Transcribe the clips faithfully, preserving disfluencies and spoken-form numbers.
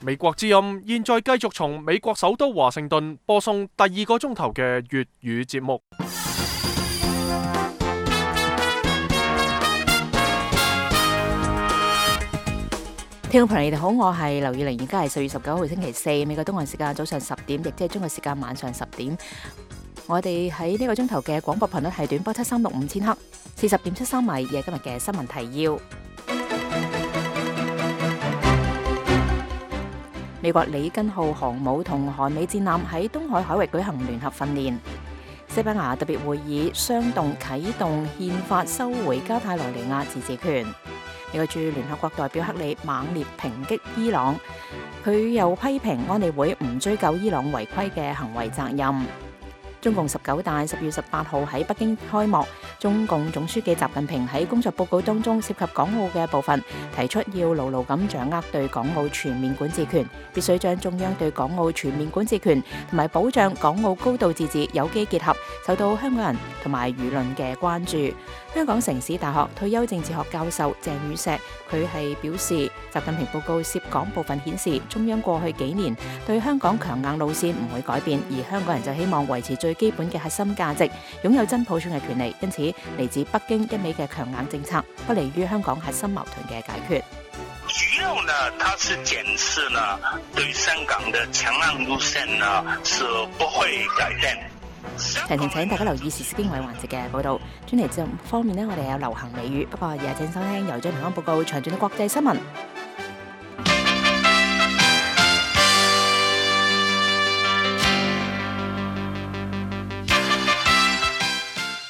美國之音現在繼續從美國首都華盛頓播送第二個鐘頭嘅粵語節目。聽眾朋友，你哋好，我係劉以玲，而家係四月十九號星期四，美國東岸時間早上十點，亦即係中國時間晚上十點。我哋喺呢個鐘頭嘅廣播頻率係短波七三六五千克，四十點七三米，嘅今日嘅新聞提要。美國里根號航母同韓美戰艦喺東海海域舉行聯合訓練。西班牙特別會議商動啟動憲法收回加泰羅尼亞自治權。美國駐聯合國代表克里猛烈抨擊伊朗，佢又批評安理會唔追究伊朗違規嘅行為責任。中共十九大十月十八號喺北京開幕，中共總書記習近平喺工作報告當中涉及港澳嘅部分，提出要牢牢咁掌握對港澳全面管治權，必須將中央對港澳全面管治權同埋保障港澳高度自治有機結合，受到香港人同埋輿論嘅關注。香港城市大學退休政治學教授鄭宇碩，佢係表示，習近平報告涉港部分顯示，中央過去幾年對香港強硬路線唔會改變，而香港人就希望維持最基本嘅核心價值，擁有真普選嘅權利。因此，嚟自北京一味嘅強硬政策，不利於香港核心矛盾嘅解決。主要呢，它是檢視呢對香港的強硬路線呢是不會改變。提醒請大家留意時事經緯環節嘅報道。專題節目方面呢，我哋有流行美語，不過也請收聽由張平安報告詳盡嘅國際新聞。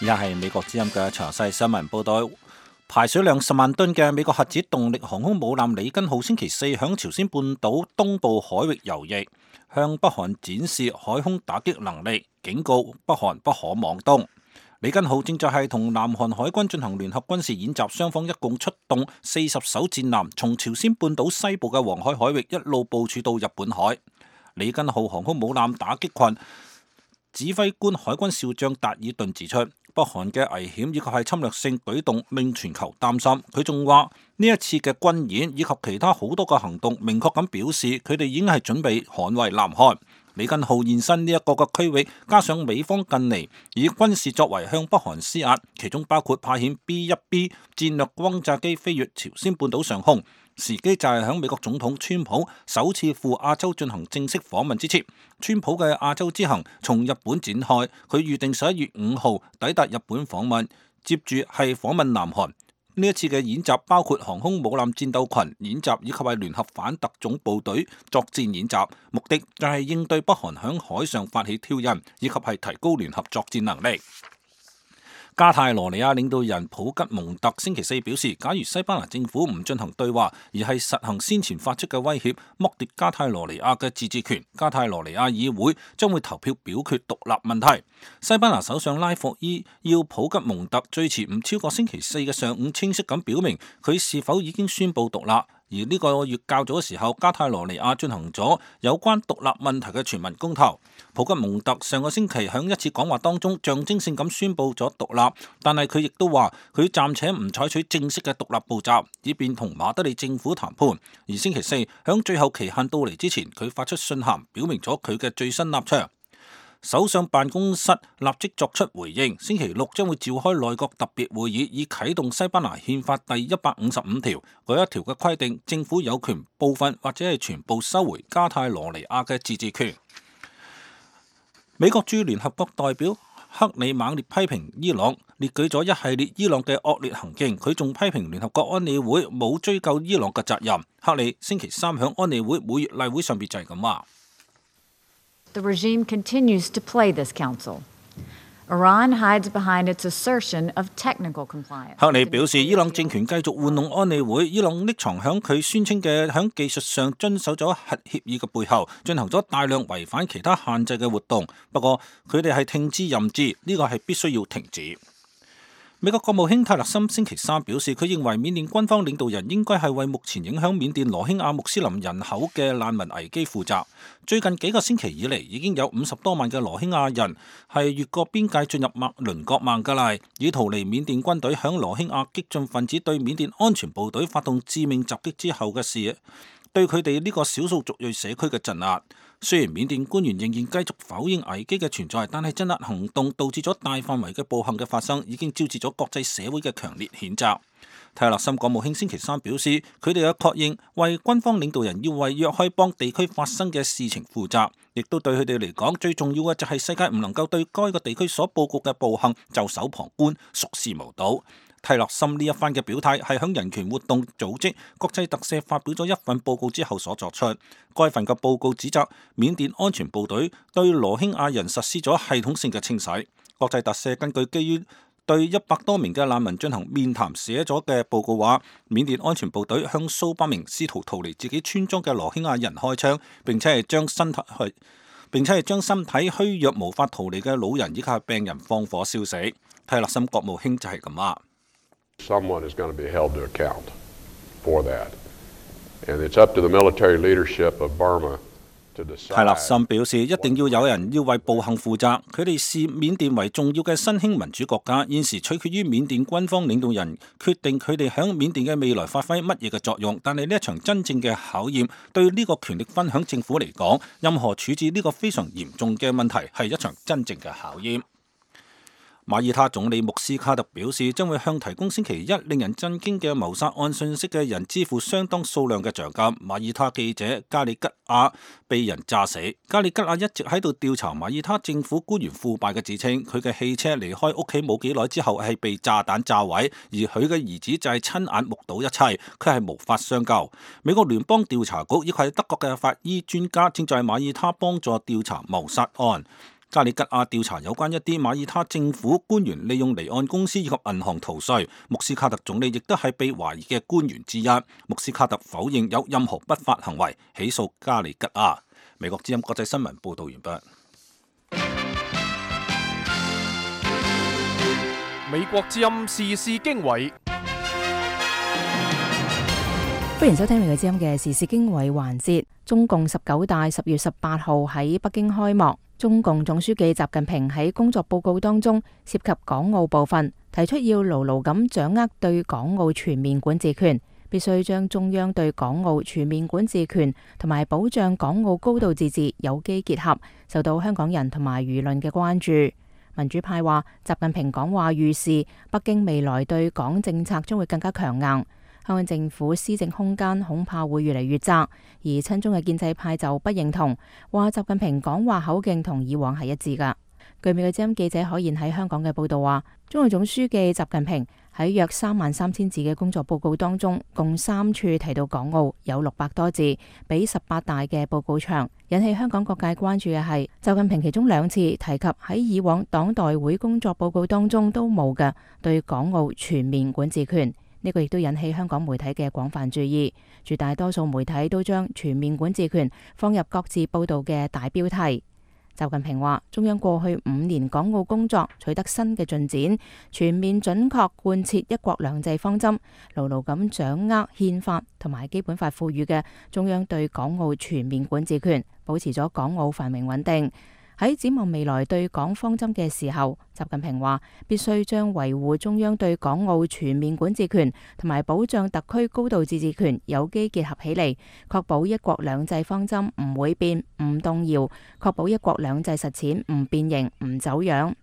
而家係美國之音嘅詳細新聞報道。排水量十萬噸嘅美國核子動力航空母艦里根號星期四響朝鮮半島東部海域游弋，向北韓展示海空打擊能力，警告北韓不可妄動。里根號正在係同南韓海軍進行聯合軍事演習，雙方一共出動四十艘戰艦，從朝鮮半島西部嘅黃海海域一路部署到日本海。里根號航空母艦打擊群指揮官海軍少將達爾頓指出，北韓嘅危險以及係侵略性舉動令全球擔心。佢仲話呢一次嘅軍演以及其他好多個行動，明確咁表示佢哋已經係準備捍衛南韓。里根號現身呢一個嘅區域，加上美方近嚟以軍事作為向北韓施壓，其中包括派遣 B 一 B 戰略轟炸機飛越朝鮮半島上空。時機就係喺美國總統川普首次赴亞洲進行正式訪問之前。川普嘅亞洲之行從日本展開，佢預定十一月五號抵達日本訪問，接住係訪問南韓。呢一次嘅演習包括航空母艦戰鬥群演習以及係聯合反特種部隊作戰演習，目的就係應對北韓響海上發起挑釁，以及係提高聯合作戰能力。加泰羅尼亞領導人普吉蒙特星期四表示，假如西班牙政府唔進行對話，而係實行先前發出嘅威脅，剝奪加泰羅尼亞嘅自治權，加泰羅尼亞議會將會投票表決獨立問題。西班牙首相拉霍伊要普吉蒙特最遲唔超過星期四嘅上午清晰咁表明佢是否已經宣布獨立。而呢個月較早嘅時候，加泰羅尼亞進行咗有關獨立問題嘅全民公投。普吉蒙特上個星期喺一次講話當中象徵性咁宣布咗獨立，但係佢亦都話佢暫且唔採取正式嘅獨立步驟，以便同馬德里政府談判。而星期四喺最後期限到嚟之前，佢發出信函表明咗佢嘅最新立場。首相辦公室立即作出回應，星期六將會召開內閣特別會議，以啟動西班牙憲法第一百五十五條嗰一條嘅規定，政府有權部分或者係全部收回加泰羅尼亞嘅自治權。美國駐聯合國代表克里猛烈批評伊朗，列舉咗一系列伊朗嘅惡劣行徑，佢仲批評聯合國安理會冇追究伊朗嘅責任。克里星期三響安理會每月例會上邊就係咁話。The regime continues to play this council. Iran hides behind its assertion of technical compliance. 克里表示，伊朗政權繼續玩弄安理會，伊朗匿藏響佢宣稱嘅響技術上遵守咗核協議嘅背後，進行咗大量違反其他限制嘅活動。不過佢哋係聽之任之，呢個係必須要停止。美國國務卿泰勒森星期三表示，佢認為緬甸軍方領導人應該係為目前影響緬甸羅興亞穆斯林人口嘅難民危機負責。最近幾個星期以嚟，已經有五十多萬嘅羅興亞人係越過邊界進入麥鄰國孟加拉，以逃離緬甸軍隊響羅興亞激進分子對緬甸安全部隊發動致命襲擊之後嘅事。對佢哋呢個少數族裔社區嘅鎮壓。雖然緬甸官員仍然繼續否認危機嘅存在，但係鎮壓行動導致咗大範圍嘅暴行嘅發生，已經招致咗國際社會嘅強烈譴責。泰勒森國務卿星期三表示，佢哋有確認為軍方領導人要為若開邦地區發生嘅事情負責，亦都對佢哋嚟講最重要嘅就係世界唔能夠對該個地區所報告嘅暴行袖手旁觀、熟視無睹。泰勒森呢一番嘅表態係響人權活動組織國際特赦發表咗一份報告之後所作出。該份嘅報告指責緬甸安全部隊對羅興亞人實施咗系統性嘅清洗。國際特赦根據基於對一百多名嘅難民進行面談寫咗嘅報告話，緬甸安全部隊向數百名試圖逃離自己村莊嘅羅興亞人開槍，並且係將身體去，並且係將身體虛弱無法逃離嘅老人以及係病人放火燒死。泰勒森國務卿就係咁話。Someone is going to be held to account for that, and it's up to the military leadership of Burma to decide. 泰勒森表示，一定要有人要為暴行負責。佢哋視緬甸為重要嘅新興民主國家，現時取決於緬甸軍方領導人決定佢哋響緬甸嘅未來發揮乜嘢嘅作用。但係呢一場真正嘅考驗，對呢個權力分享政府嚟講，任何處置呢個非常嚴重嘅問題係一場真正嘅考驗。馬爾他總理穆斯卡特表示，將會向提供星期一令人震驚嘅謀殺案信息嘅人支付相當數量嘅獎金。馬爾他記者加里吉亞被人炸死。加里吉亞一直喺度調查馬爾他政府官員腐敗嘅指稱。佢嘅汽車離開屋企冇幾耐之後係被炸彈炸毀，而佢嘅兒子就係親眼目睹一切，佢係無法相救。美國聯邦調查局以及德國嘅法醫專家正在馬爾他幫助調查謀殺案。加里吉亞調查有關一啲馬爾他政府官員利用離岸公司以及銀行逃稅。穆斯卡特總理亦都係被懷疑嘅官員之一。穆斯卡特否認有任何不法行為，起訴加里吉亞。美國之音國際新聞報道完畢。美國之音時事經緯，歡迎收聽美國之音嘅時事經緯環節。中共十九大十月十八號喺北京開幕。中共總書記習近平喺工作報告當中涉及港澳部分，提出要牢牢咁掌握對港澳全面管治權，必須將中央對港澳全面管治權同埋保障港澳高度自治有機結合，受到香港人同埋輿論嘅關注。民主派話，習近平講話預示北京未來對港政策將會更加強硬。香港政府施政空間恐怕會越嚟越窄，而親中嘅建制派就不認同，話習近平講話口徑同以往係一致㗎。據美國之音記者可言喺香港嘅報道話，中共總書記習近平喺約三萬三千字嘅工作報告當中，共三處提到港澳，有六百多字，比十八大嘅報告長。引起香港各界關注嘅係，習近平其中兩次提及喺以往黨代會工作報告當中都冇嘅對港澳全面管治權。呢個亦都引起香港媒體嘅廣泛注意，絕大多數媒體都將全面管治權放入各自報導嘅大標題。習近平話：中央過去五年港澳工作取得新嘅進展，全面準確貫徹一國兩制方針，牢牢咁掌握憲法同埋基本法賦予嘅中央對港澳全面管治權，保持咗港澳繁榮穩定。喺展望未來對港方針嘅時候，習近平話必須將維護中央對港澳全面管治權同埋保障特區高度自治權有機結合起嚟，確保一國兩制方針唔會變、唔動搖，確保一國兩制實踐唔變形、唔走樣。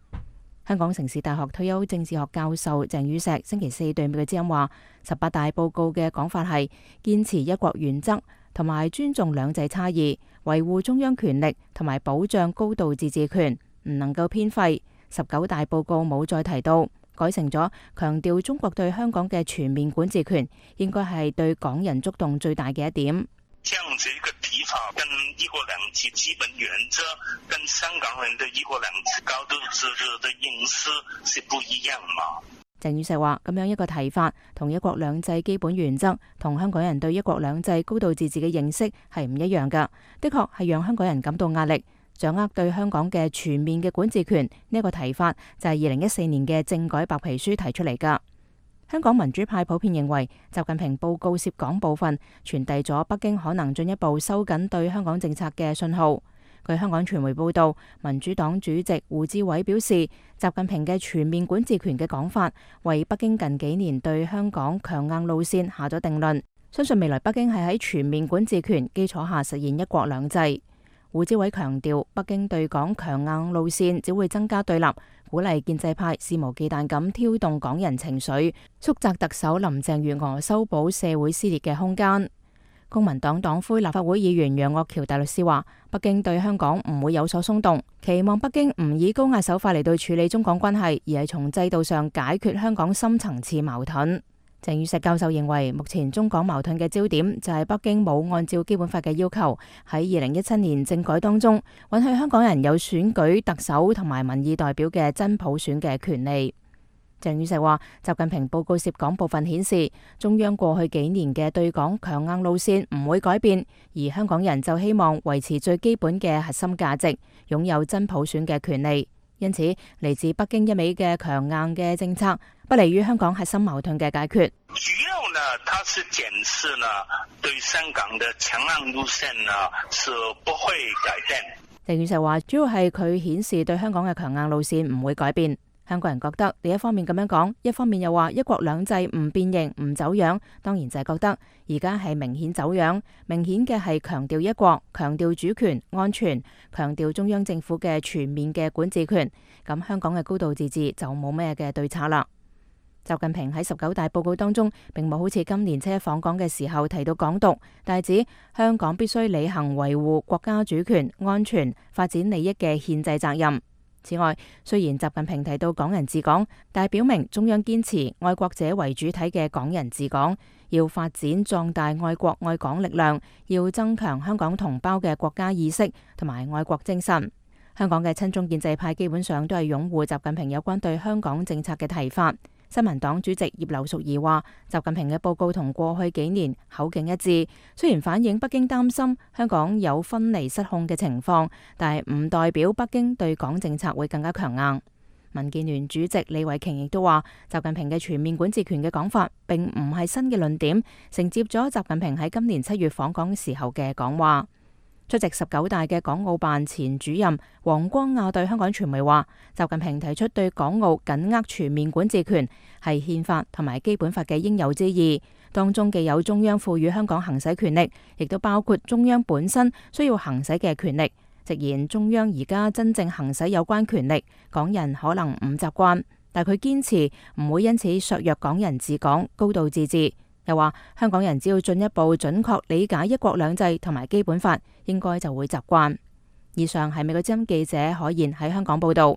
香港城市大學退休政治學教授鄭宇碩星期四對美國之音話：十八大報告嘅講法係堅持一國原則同埋尊重兩制差異，維護中央權力同埋保障高度自治權，唔能夠偏廢。十九大報告冇再提到，改成咗強調中國對香港嘅全面管治權，應該係對港人觸動最大嘅一點。這樣子一個提法，跟一國兩制基本原則，跟香港人的一國兩制高度自治的認識是不一樣嘛？鄭宇碩話：咁樣一個提法，同一國兩制基本原則，同香港人對一國兩制高度自治嘅認識係唔一樣噶。的確係讓香港人感到壓力，掌握對香港嘅全面嘅管治權呢一個提法，就係二零一四年嘅政改白皮書提出嚟噶。香港民主派普遍認為，習近平報告涉港部分傳遞咗北京可能進一步收緊對香港政策嘅信號。據香港傳媒報道，民主黨主席胡志偉表示，習近平嘅全面管治權嘅講法，為北京近幾年對香港強硬路線下咗定論。相信未來北京係喺全面管治權基礎下實現一國兩制。胡志偉強調，北京對港強硬路線只會增加對立，鼓勵建制派肆無忌憚咁挑動港人情緒，縮窄特首林鄭月娥修補社會撕裂嘅空間。公民黨黨魁立法會議員楊岳橋大律師話，北京對香港唔會有所鬆動，期望北京唔以高壓手法嚟到處理中港關係，而係從制度上解決香港深層次矛盾。鄭宇碩教授認為，目前中港矛盾嘅焦點就係北京冇按照基本法嘅要求，喺二零一七年政改當中允許香港人有選舉特首同埋民意代表嘅真普選嘅權利。鄭宇碩話，習近平報告涉港部分顯示，中央過去幾年嘅對港強硬路線唔會改變，而香港人就希望維持最基本嘅核心價值，擁有真普選嘅權利。因此，嚟自北京一味嘅強硬嘅政策，不利於香港核心矛盾嘅解決。主要呢，它是檢視呢對香港的強硬路線呢是不會改變。鄭宇碩話，主要係佢顯示對香港嘅強硬路線唔會改變。香港人覺得你一方面咁樣講，一方面又話一國兩制唔變形唔走樣，當然就係覺得而家係明顯走樣，明顯嘅係強調一國，強調主權安全，強調中央政府嘅全面嘅管治權，咁香港嘅高度自治就冇咩嘅對策啦。習近平喺十九大報告當中並冇好似今年七一訪港嘅時候提到港獨，但係指香港必須履行維護國家主權安全發展利益嘅憲制責任。此外，雖然習近平提到港人治港，但係表明中央堅持愛國者為主體嘅港人治港，要發展壯大愛國愛港力量，要增強香港同胞嘅國家意識同埋愛國精神。香港嘅親中建制派基本上都係擁護習近平有關對香港政策嘅提法。新民黨主席葉劉淑儀話，習近平嘅報告同過去幾年口徑一致，雖然反映北京擔心香港有分離失控嘅情況，但係唔代表北京對港政策會更加強硬。民建聯主席李慧瓊亦都話，習近平嘅全面管治權嘅講法並唔係新嘅論點，承接咗習近平喺今年七月訪港時候嘅講話。出席十九大嘅港澳辦前主任黃光亞對香港傳媒話，習近平提出對港澳緊握全面管治權係憲法同埋基本法嘅應有之義，當中既有中央賦予香港行使權力，亦都包括中央本身需要行使嘅權力。直言中央而家真正行使有關權力，港人可能唔習慣，但佢堅持唔會因此削弱港人治港、高度自治。又話香港人只要進一步準確理解一國兩制同埋基本法，應該就會習慣。以上係美國之音記者海燕喺香港報道。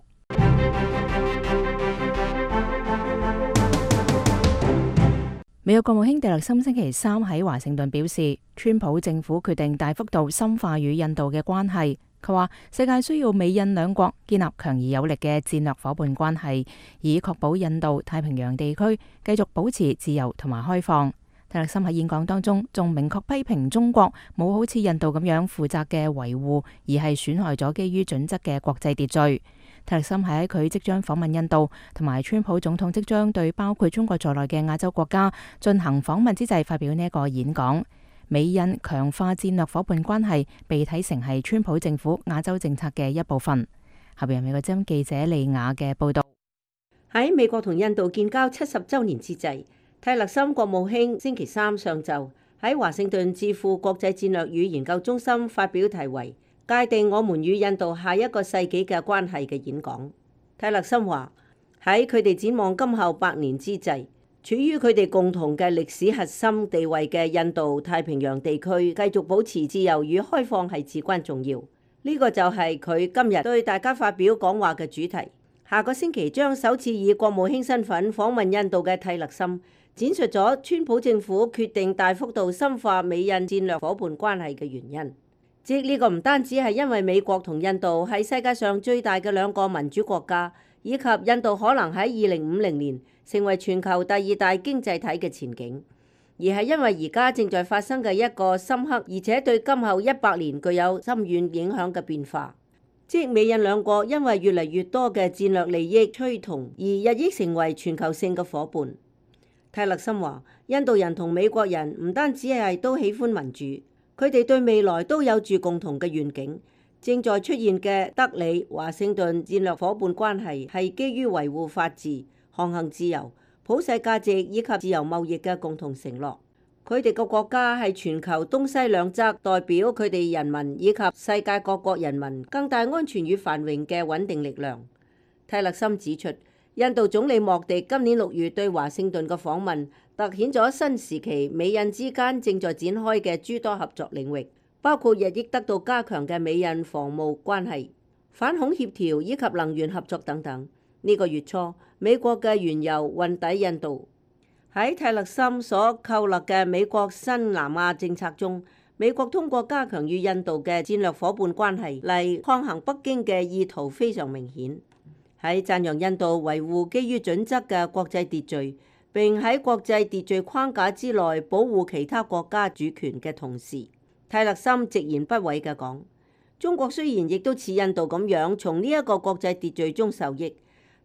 美國國務卿蒂勒森星期三喺華盛頓表示，川普政府決定大幅度深化與印度嘅關係。佢話世界需要美印兩國建立強而有力嘅戰略夥伴關係，以確保印度太平洋地區繼續保持自由同埋開放。蒂勒森喺演講當中仲明確批評中國冇好似印度咁樣負責嘅維護，而係損害咗基於準則嘅國際秩序。蒂勒森係喺佢即將訪問印度，同埋川普總統即將對包括中國在內嘅亞洲國家進行訪問之際發表呢一個演講。美印強化戰略夥伴關係被睇成係川普政府亞洲政策嘅一部分。下邊係美國之音記者利雅嘅報道。喺美國同印度建交七十週年之際，蒂勒森國務卿星期三上晝喺華盛頓智庫國際戰略與研究中心發表題為《界定我們與印度下一個世紀嘅關係》嘅演講。蒂勒森話喺佢哋展望今後百年之際，處於佢哋共同嘅歷史核心地位嘅印度太平洋地區繼續保持自由與開放係至關重要。呢、這個就係佢今日對大家發表講話嘅主題。下個星期將首次以國務卿身份訪問印度嘅蒂勒森，展述咗川普政府決定大幅度深化美印戰略夥伴關係嘅原因。即呢個唔單止係因為美國同印度係世界上最大嘅兩個民主國家，以及印度可能喺二零五零年成為全球第二大經濟體嘅前景，而係因為而家正在發生嘅一個深刻而且對今後一百年具有深遠影響嘅變化。即美印兩國因為越嚟越多嘅戰略利益趨同而日益成為全球性嘅夥伴。蒂勒森話，印度人同美國人唔單止係都喜歡民主，佢哋對未來都有住共同嘅願景。正在出現嘅德里華盛頓戰略夥伴關係係基於維護法治、航行自由、普世價值以及自由貿易嘅共同承諾。佢哋個國家係全球東西兩側代表佢哋人民以及世界各國人民更大安全與繁榮嘅穩定力量。泰勒森指出，印度總理莫迪今年六月對華盛頓嘅訪問，凸顯咗新時期美印之間正在展開嘅諸多合作領域，包括日益得到加強嘅美印防務關係、反恐協調以及能源合作等等。呢個月初，美國嘅原油運抵印度。喺泰勒森所構立嘅美國新南亞政策中，美國通過加強與印度嘅戰略夥伴關係嚟抗衡北京嘅意圖非常明顯。喺讚揚印度維護基於準則嘅國際秩序，並喺國際秩序框架之內保護其他國家主權嘅同時，泰勒森直言不諱嘅講：中國雖然亦都似印度咁樣從呢一個國際秩序中受益，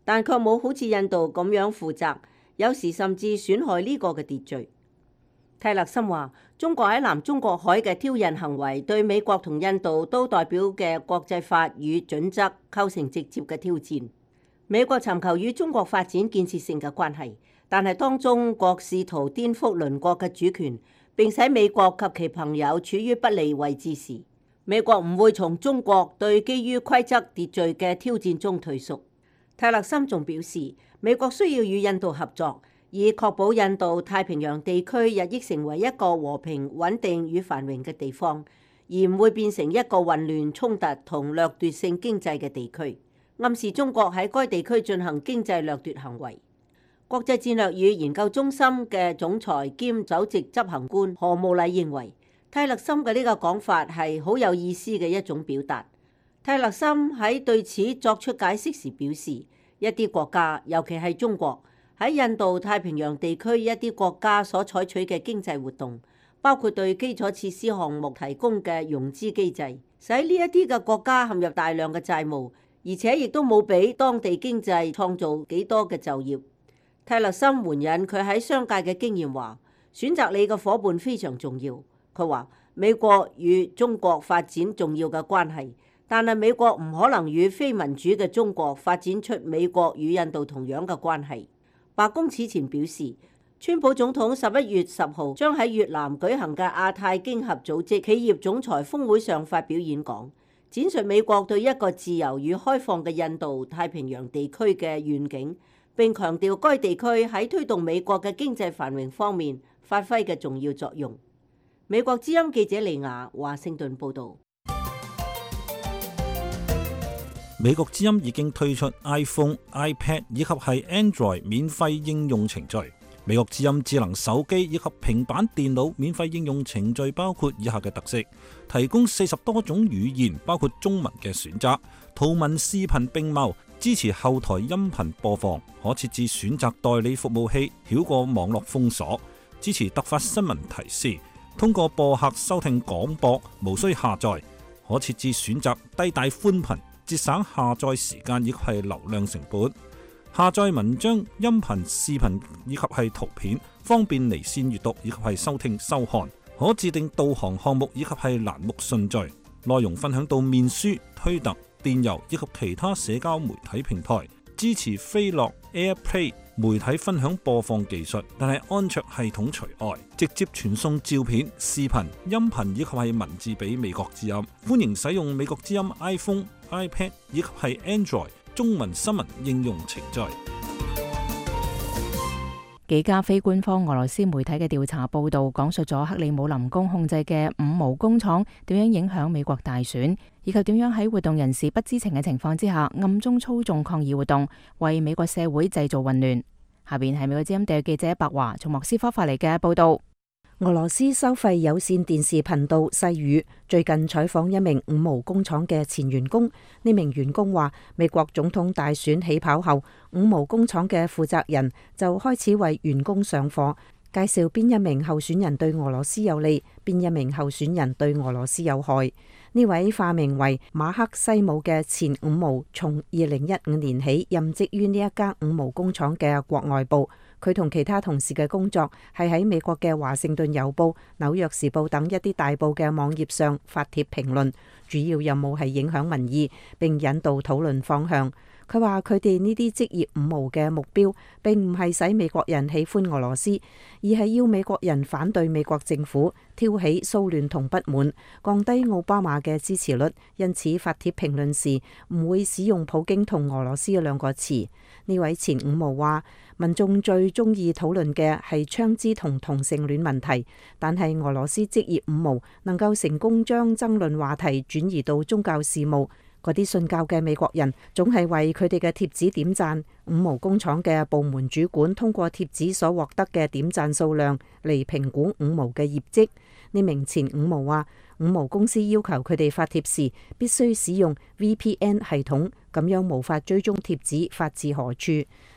但卻冇好似印度咁樣負責。有時甚至損害呢個嘅秩序。泰勒森話：中國喺南中國海嘅挑釁行為，對美國同印度都代表嘅國際法與準則構成直接嘅挑戰。美國尋求與中國發展建設性嘅關係，但係當中國試圖顛覆鄰國嘅主權，並使美國及其朋友處於不利位置時，美國唔會從中國對基於規則秩序嘅挑戰中退縮。泰勒森仲表示，美國需要與印度合作，以確保印度太平洋地區日益成為一個和平、穩定與繁榮嘅地方，而唔會變成一個混亂、衝突同掠奪性經濟嘅地區，暗示中國喺該地區進行經濟掠奪行為。國際戰略與研究中心嘅總裁兼首席執行官何慕禮認為，泰勒森嘅呢個講法係好有意思嘅一種表達。泰勒森喺對此作出解釋時表示，一啲國家，尤其係中國，喺印度太平洋地區一啲國家所採取嘅經濟活動，包括對基礎設施項目提供嘅融資機制，使呢一啲嘅國家陷入大量嘅債務，而且亦都冇俾當地經濟創造幾多嘅就業。泰勒森援引佢喺商界嘅經驗話，選擇你嘅夥伴非常重要。佢話美國與中國發展重要嘅關係，但係美國唔可能與非民主嘅中國發展出美國與印度同樣嘅關係。白宮此前表示，川普總統十一月十號將喺越南舉行嘅亞太經合組織企業總裁峰會上發表演講，展述美國對一個自由與開放嘅印度太平洋地區嘅願景，並強調該地區喺推動美國嘅經濟繁榮方面發揮嘅重要作用。美國之音記者李雅華盛頓報導。美國之音已經推出 iPhone、iPad 以及係 Android 免費應用程序。美國之音智能手機以及平板電腦免費應用程序包括以下嘅特色：提供四十多種語言，包括中文嘅選擇，圖文視頻並茂，支持後台音頻播放，可設置選擇代理服務器，繞過網絡封鎖，支持突發新聞提示，通過播客收聽廣播，無需下載，可設置選擇低帶寬頻，節省下載時間以及係流量成本。下載文章、音頻、視頻以及係圖片，方便離線閱讀以及係收聽收看。可自定導航項目以及係欄目順序。內容分享到面書、推特、電郵以及其他社交媒體平台。支持飛樂 AirPlay 媒體分享播放技術，但係安卓系統除外。直接傳送照片、視頻、音頻以及係文字俾美國之音。歡迎使用美國之音 iPhone、iPad 以及係 Android中文新聞應用程序。幾家非官方俄羅斯媒體嘅調查報導，講述咗克里姆林宮控制嘅五毛工廠點樣影響美國大選，以及點樣喺活動人士不知情嘅情況之下，暗中操縱抗議活動，為美國社會製造混亂。下邊係美國之音地記者白華從莫斯科發嚟嘅報導。俄羅斯收費有線電視頻道細語最近採訪一名五毛工廠嘅前員工，呢名員工話，美國總統大選起跑後，五毛工廠嘅負責人就開始為員工上課，介紹邊一名候選人對俄羅斯有利，邊一名候選人對俄羅斯有害。呢位化名為馬克西姆嘅前五毛，從二零一五年起任職於呢一家五毛工廠嘅國外部。佢同其他同事嘅工作係喺美國嘅華盛頓郵報、紐約時報等一啲大報嘅網頁上發帖評論，主要任務係影響民意並引導討論方向。佢話佢哋呢啲職業五毛嘅目標並唔係使美國人喜歡俄羅斯，而係要美國人反對美國政府，挑起騷亂同不滿，降低奧巴馬嘅支持率。因此發帖評論時唔會使用普京同俄羅斯嘅兩個詞。呢位前五毛話，民眾最中意討論嘅係槍支同同性戀問題，但係俄羅斯職業五毛能夠成功將爭論話題轉移到宗教事務。嗰啲信教嘅美國人總係為佢哋嘅貼紙點讚。五毛工廠嘅部門主管通過貼紙所獲得嘅點讚數量嚟評估五毛嘅業績。呢名前五毛話，五毛公司要求佢哋發帖時必須使用 V P N 系統，咁樣無法追蹤貼紙發自何處。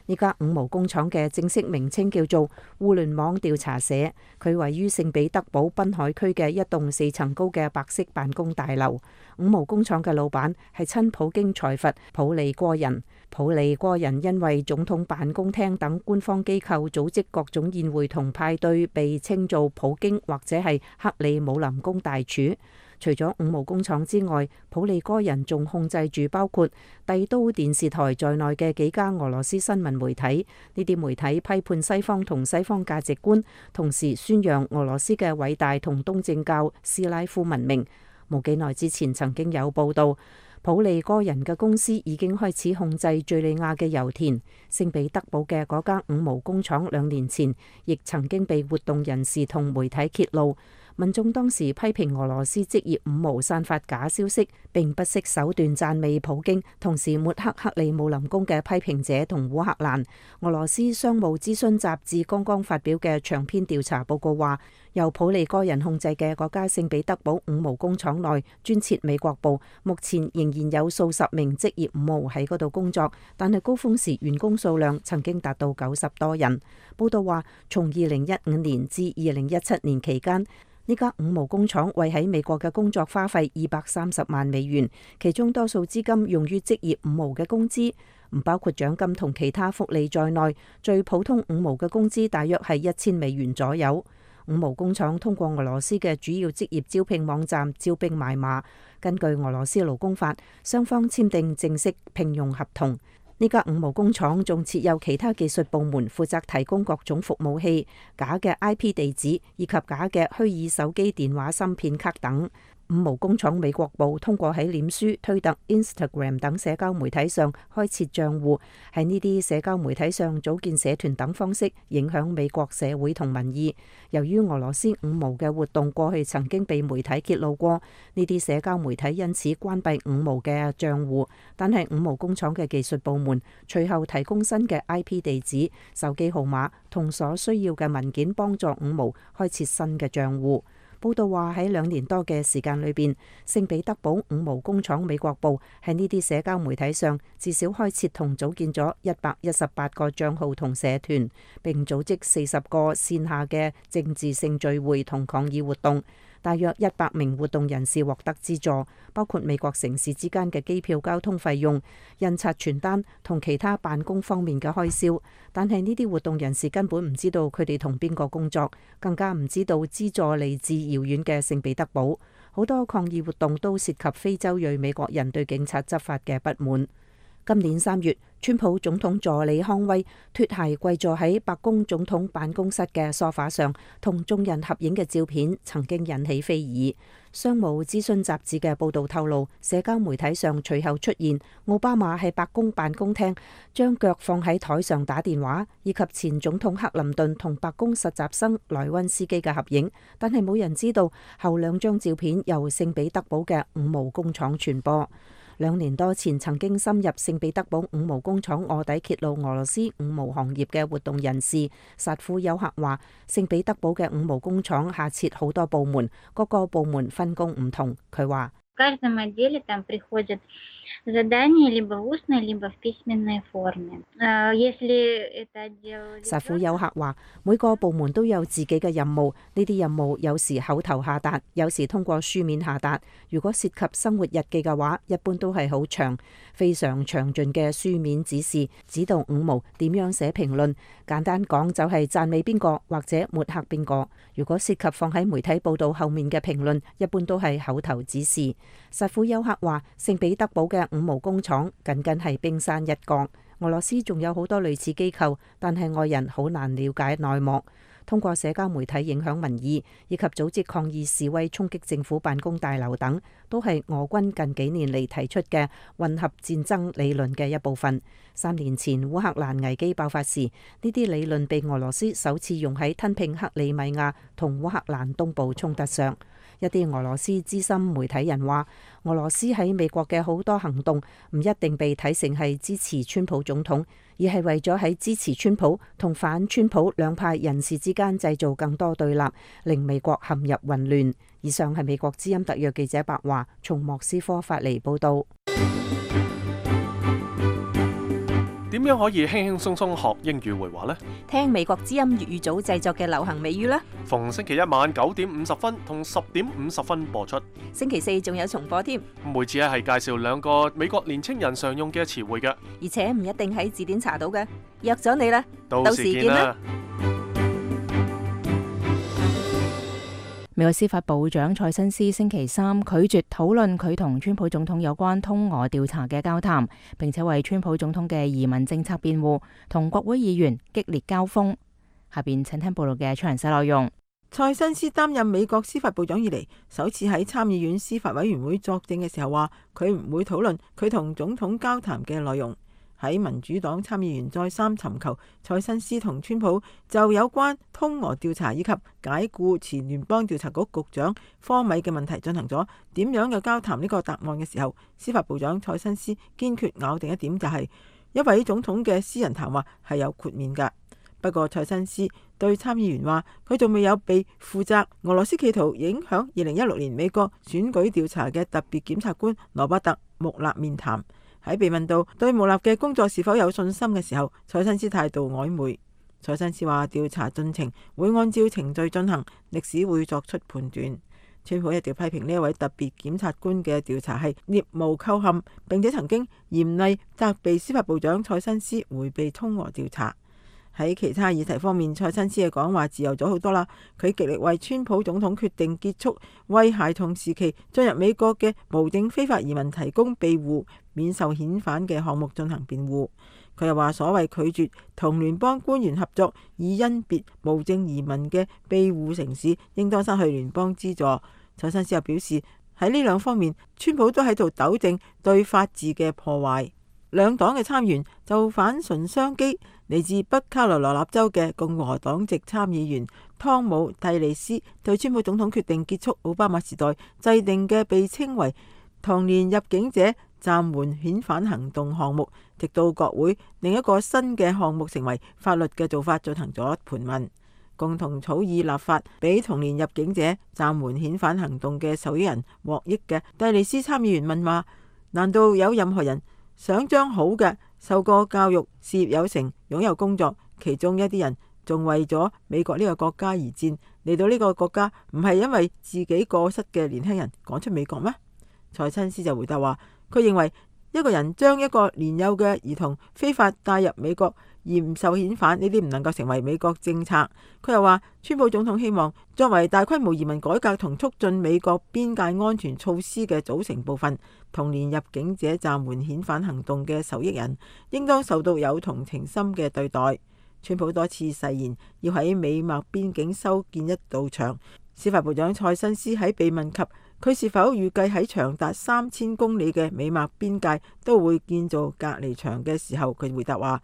呢家五毛工廠嘅正式名稱叫做互聯網調查社，佢位於聖彼得堡濱海區嘅一棟四層高嘅白色辦公大樓。五毛工廠嘅老闆係親普京財閥普利戈人。普利戈人因為總統辦公廳等官方機構組織各種宴會同派對，被稱做普京或者係克里姆林宮大廚。除咗五毛工廠之外，普利戈人仲控制住包括帝都電視台在內嘅幾家俄羅斯新聞媒體。呢啲媒體批判西方同西方價值觀，同時宣揚俄羅斯嘅偉大同東正教斯拉夫文明。冇幾耐之前曾經有報道，普利戈人嘅公司已經開始控制敘利亞嘅油田。聖彼得堡嘅嗰間五毛工廠兩年前亦曾經被活動人士同媒體揭露。民眾當時批評俄羅斯職業五毛散發假消息，並不惜手段讚美普京，同時抹黑克里姆林宮嘅批評者同烏克蘭。俄羅斯商務諮詢雜誌剛剛發表嘅長篇調查報告話，由普利戈人控制嘅嗰家聖彼得堡五毛工廠內專設美國部，目前仍然有數十名職業五毛喺嗰度工作，但係高峰時員工數量曾經達到九十多人。報道話，從二零一五年至二零一七年期間，呢家五毛工廠為喺美國嘅工作花費二百三十萬美元，其中多數資金用於職業五毛嘅工資，唔包括獎金同其他福利在內。最普通五毛嘅工資大約係一千美元左右。五毛工廠通過俄羅斯嘅主要職業招聘網站招兵買馬，根據俄羅斯勞工法，雙方簽訂正式聘用合同。呢家五毛工廠仲設有其他技術部門，負責提供各種服務器、假嘅 I P 地址以及假嘅虛擬手機電話芯片卡等。五毛工廠美國部通過喺臉書、推特、Instagram 等社交媒體上開設賬戶，喺呢啲社交媒體上組建社團等方式影響美國社會同民意。由於俄羅斯五毛嘅活動過去曾經被媒體揭露過，呢啲社交媒體因此關閉五毛嘅賬戶，但係五毛工廠嘅技術部門隨後提供新嘅 I P 地址、手機號碼同所需要嘅文件，幫助五毛開設新嘅賬戶。報道話喺兩年多嘅時間裏邊，聖彼得堡五毛工廠美國部喺呢啲社交媒體上至少開設同組建咗一百一十八個賬號同社團，並組織四十個線下嘅政治性聚會同抗議活動。大約一百名活動人士獲得資助，包括美國城市之間嘅機票、交通費用、印刷傳單同其他辦公方面嘅開銷。但係呢啲活動人士根本唔知道佢哋同邊個工作，更加唔知道資助嚟自遙遠嘅聖彼得堡。好多抗議活動都涉及非洲裔美國人對警察執法嘅不滿。今年三月，川普總統助理康威脫鞋跪坐喺白宮總統辦公室嘅梳化上，同眾人合影嘅照片曾經引起非議。商務諮詢雜誌嘅報導透露，社交媒體上隨後出現奧巴馬喺白宮辦公廳將腳放喺台上打電話，以及前總統克林頓同白宮實習生萊溫斯基嘅合影，但係冇人知道後兩張照片由聖彼得堡嘅五毛工廠傳播。兩年多前曾經深入聖彼得堡五毛工廠臥底揭露俄羅斯五毛行業嘅活動人士薩夫丘克話，聖彼得堡嘅五毛工廠下設好多部門，各個部門分工唔同。佢話薩夫丘克話，每個部門都有自己嘅任務，呢啲任務有時口頭下達，有時通過書面下達。如果涉及生活日記嘅話，一般都係好長，非常詳盡嘅書面指示，指導五毛點樣寫評論。簡單講就係讚美邊個或者抹黑邊個。如果涉及放喺媒體報道後面嘅評論，一般都係口頭指示。實庫丘克話，聖彼得堡嘅五毛工廠僅僅係冰山一角，俄羅斯仲有好多類似機構，但係外人好難了解內幕。通過社交媒體影響民意，以及組織抗議示威、衝擊政府辦公大樓等，都係俄軍近幾年嚟提出嘅混合戰爭理論嘅一部分。三年前烏克蘭危機爆發時，呢啲理論被俄羅斯首次用喺吞併克里米亞同烏克蘭東部衝突上。一啲俄羅斯資深媒體人話，俄羅斯喺美國嘅好多行動唔一定被睇成係支持川普總統，而係為咗喺支持川普同反川普兩派人士之間製造更多對立，令美國陷入混亂。以上係美國之音特約記者白華從莫斯科發嚟報道。點樣可以輕輕鬆鬆學英語會話呢？聽美國之音粵語組製作嘅流行美語啦。逢星期一晚九點五十分同十點五十分播出。星期四仲有重播添。每次咧係介紹兩個美國年青人常用嘅詞彙嘅，而且唔一定喺字典查到嘅。約咗你啦，到時見啦。美國司法部長蔡新斯星期三拒絕討論佢同川普總統有關通俄調查嘅交談，並且為川普總統嘅移民政策辯護，同國會議員激烈交鋒。下邊請聽報道嘅詳細內容。蔡新斯擔任美國司法部長以嚟，首次喺參議院司法委員會作證嘅時候話，佢唔會討論佢同總統交談嘅內容。喺民主黨參議員再三尋求蔡新斯同川普就有關通俄調查以及解僱前聯邦調查局局長科米嘅問題進行咗點樣嘅交談呢個答案嘅時候，司法部長蔡新斯堅決咬定一點，就係一位總統嘅私人談話係有豁免㗎。不過蔡新斯對參議員話，佢仲未有被負責俄羅斯企圖影響二零一六年美國選舉調查嘅特別檢察官羅伯特穆勒面談。喺被問到對穆勒嘅工作是否有信心嘅時候，蔡新斯態度曖昧。蔡新斯話調查進程會按照程序進行，歷史會作出判斷。川普一直批評呢一位特別檢察官嘅調查係聶無構陷，並且曾經嚴厲責備司法部長蔡新斯迴避通俄調查。喺其他議題方面，蔡新斯嘅講話自由咗好多啦。佢極力為川普總統決定結束為孩童時期進入美國嘅無證非法移民提供庇護免受遣返嘅項目進行辯護。佢又話所謂拒絕同聯邦官員合作以甄別無證移民嘅庇護城市，應當失去聯邦資助。蔡新斯又表示喺呢兩方面，川普都喺度糾正對法治嘅破壞。兩黨嘅參員就反唇相譏，嚟自北卡羅來納州嘅共和黨籍參議員湯姆蒂利斯對川普總統決定結束奧巴馬時代制定嘅被稱為童年入境者暫緩遣返行動項目，直到國會另一個新嘅項目成為法律嘅做法進行咗盤問，共同草擬立法俾童年入境者暫緩遣返行動嘅受益人獲益嘅蒂利斯參議員問話：難道有任何人想將好嘅受過教育、事業有成、擁有工作，其中一啲人仲為咗美國呢個國家而戰，嚟到呢個國家唔係因為自己過失嘅年輕人趕出美國咩？蔡新斯就回答話，佢認為一個人將一個年幼嘅兒童非法帶入美國而唔受遣返，呢啲唔能夠成為美國政策。佢又話，川普總統希望作為大規模移民改革同促進美國邊界安全措施嘅組成部分，童年入境者暫緩遣返行動嘅受益人應當受到有同情心嘅對待。川普多次誓言要喺美墨邊境修建一道牆。司法部長蔡新斯喺被問及佢是否預計喺長達三千公里嘅美墨邊界都會建造隔離牆嘅時候，佢回答話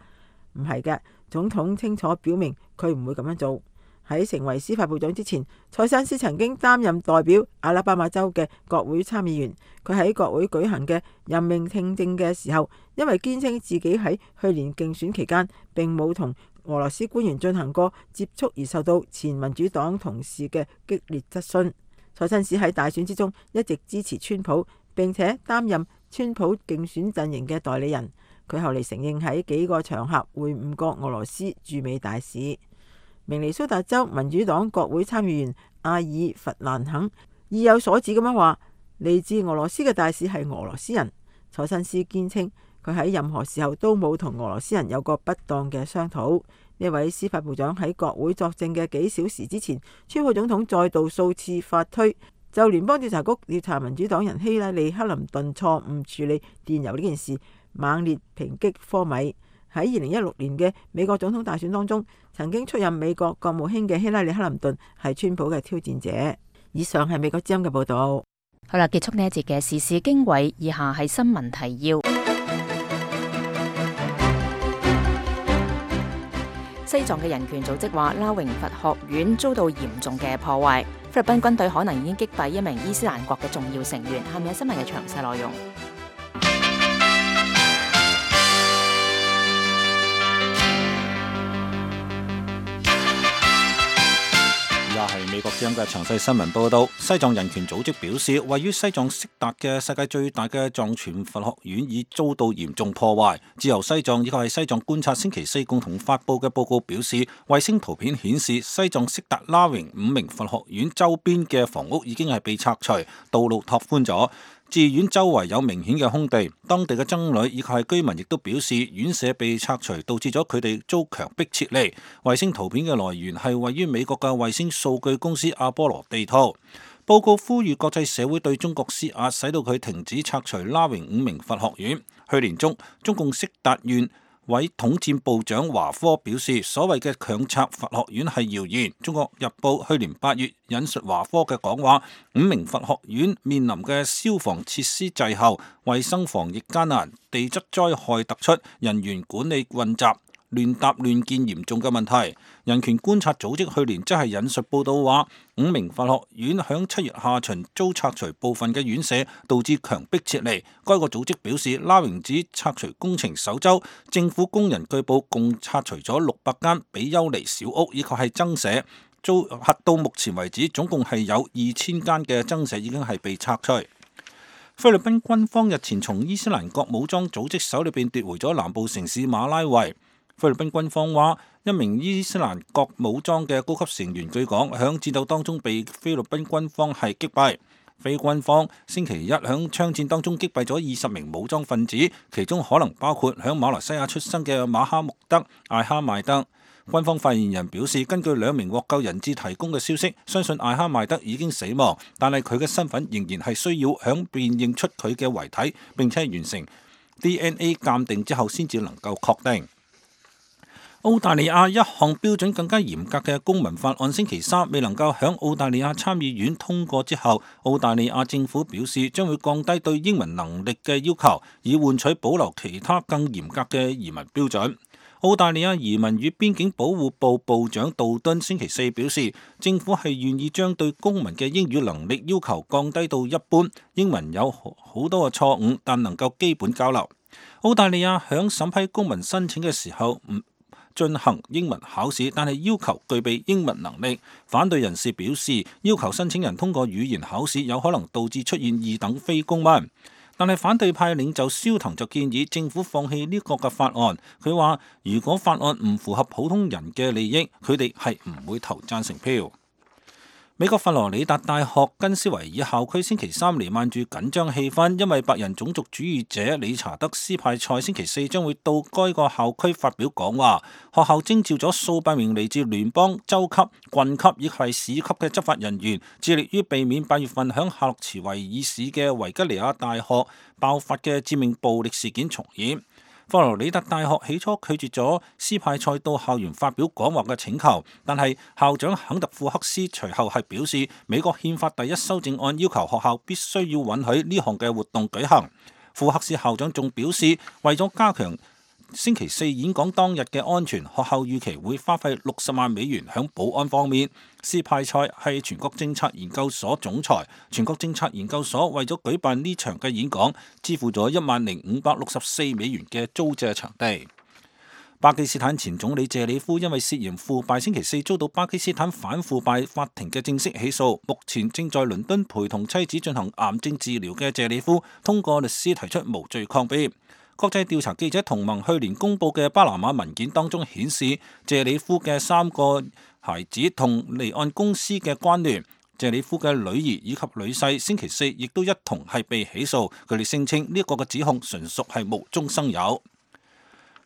唔係嘅，總統清楚表明佢唔會咁樣做。喺成為司法部長之前，蔡新斯曾經擔任代表阿拉巴馬州嘅國會參議員。佢喺國會舉行嘅任命聽證嘅時候，因為堅稱自己喺去年競選期間並冇同俄羅斯官員進行過接觸，而受到前民主黨同事嘅激烈質詢。蔡新斯喺大選之中一直支持川普，並且擔任川普競選陣營嘅代理人。佢後嚟承認喺幾個場合會晤過俄羅斯駐美大使。明尼蘇達州民主黨國會參議員阿爾弗蘭肯意有所指咁樣話，嚟自俄羅斯嘅大使係俄羅斯人。蔡新斯堅稱佢喺任何時候都冇同俄羅斯人有過不當嘅商討。呢位司法部長喺國會作證嘅幾小時之前，川普總統再度數次發推就聯邦調查局調查民主黨人希拉里·克林頓錯誤處理電郵呢件事，猛烈抨擊科米。喺二零一六年嘅美國總統大選當中，曾經出任美國國務卿嘅希拉里·克林頓係川普嘅挑戰者。以上係美國之音嘅報道。好啦，結束呢一節嘅時事經緯，以下係新聞提要。西藏嘅人權組織話，拉榮佛學院遭到嚴重嘅破壞。菲律賓軍隊可能已經擊斃一名伊斯蘭國嘅重要成員。係咪新聞嘅詳細內容？係美國之音嘅詳細新聞報道。西藏人權組織表示，位於西藏色達嘅世界最大嘅藏傳佛學院已遭到嚴重破壞。自由西藏以及係西藏觀察星期四共同發佈嘅報告表示，衛星圖片顯示西藏色達拉榮五名佛學院周邊嘅房屋已經係被拆除，道路拓寬咗。寺院周圍有明顯嘅空地，當地嘅僧侶以及係居民亦都表示，院舍被拆除導致咗佢哋遭強迫撤離。衛星圖片嘅來源係位於美國嘅衛星數據公司阿波羅地圖。報告呼籲國際社會對中國施壓，使到佢停止拆除拉榮五名佛學院。去年中，中共色達縣委統戰部長華科表示，所謂嘅強拆佛學院係謠言。中國日報去年八月引述華科嘅講話，五名佛學院面臨嘅消防設施滯後、衛生防疫艱難、地質災害突出、人員管理混雜、亂搭亂建嚴重嘅問題。人權觀察組織去年即係引述報道話，五名佛學院響七月下旬遭拆除部分嘅院舍，導致強迫撤離。該個組織表示，拉榮寺拆除工程首周，政府工人據報共拆除咗六百間比丘尼小屋，以及係僧舍。遭核到目前為止，總共係有二千間嘅僧舍已經係被拆除。菲律賓軍方日前從伊斯蘭國武裝組織手裏邊奪回咗南部城市馬拉維。菲律賓軍方話，一名伊斯蘭國武裝嘅高級成員據講響戰鬥當中被菲律賓軍方係擊斃。菲軍方星期一響槍戰當中擊斃咗二十名武裝分子，其中可能包括響馬來西亞出生嘅馬哈穆德·艾哈邁德。軍方發言人表示，根據兩名獲救人質提供嘅消息，相信艾哈邁德已經死亡，但係佢嘅身份仍然係需要響辨認出佢嘅遺體，並且完成 D N A 鑑定之後先至能夠確定。澳大利亞一項標準更加嚴格嘅公民法案星期三未能夠響澳大利亞參議院通過之後，澳大利亞政府表示將會降低對英文能力嘅要求，以換取保留其他更嚴格嘅移民標準。澳大利亞移民與邊境保護部部長杜敦星期四表示，政府係願意將對公民嘅英語能力要求降低到一般，英文有好多嘅錯誤，但能夠基本交流。澳大利亞響審批公民申請嘅時候唔進行英文考試，但係要求具備英文能力。反對人士表示，要求申請人通過語言考試有可能導致出現二等非公民。但係反對派領袖蕭騰就建議政府放棄呢個嘅法案。佢話如果法案唔符合普通人嘅利益，佢哋係唔會投贊成票。美國佛羅里達大學根斯維爾校區星期三彌漫住緊張氣氛，因為白人種族主義者理查德斯派塞星期四將會到該個校區發表講話。學校徵召咗數百名嚟自聯邦、州級、郡級以及市級嘅執法人員，致力於避免八月份響夏洛茨維爾市嘅維吉尼亞大學爆發嘅致命暴力事件重演。佛羅里達大學起初拒絕咗斯派塞到校園發表講話嘅請求，但係校長肯特庫克斯隨後係表示，美國憲法第一修正案要求學校必須要允許呢項嘅活動舉行。庫克斯校長仲表示，為咗加強星期四演講當日嘅安全，學校預期會花費六十萬美元響保安方面。斯派塞係全國政策研究所總裁，全國政策研究所為咗舉辦呢場嘅演講，支付咗一萬零五百六十四美元嘅租借場地。巴基斯坦前總理謝里夫因為涉嫌腐敗，星期四遭到巴基斯坦反腐敗法庭嘅正式起訴。目前正在倫敦陪同妻子進行癌症治療嘅謝里夫，通過律師提出無罪抗辯。國際調查記者同盟去年公佈嘅巴拿馬文件當中顯示，謝里夫嘅三個孩子同離岸公司嘅關聯。謝里夫嘅女兒以及女婿星期四亦都一同係被起訴。佢哋聲稱呢一個嘅指控純屬係無中生有。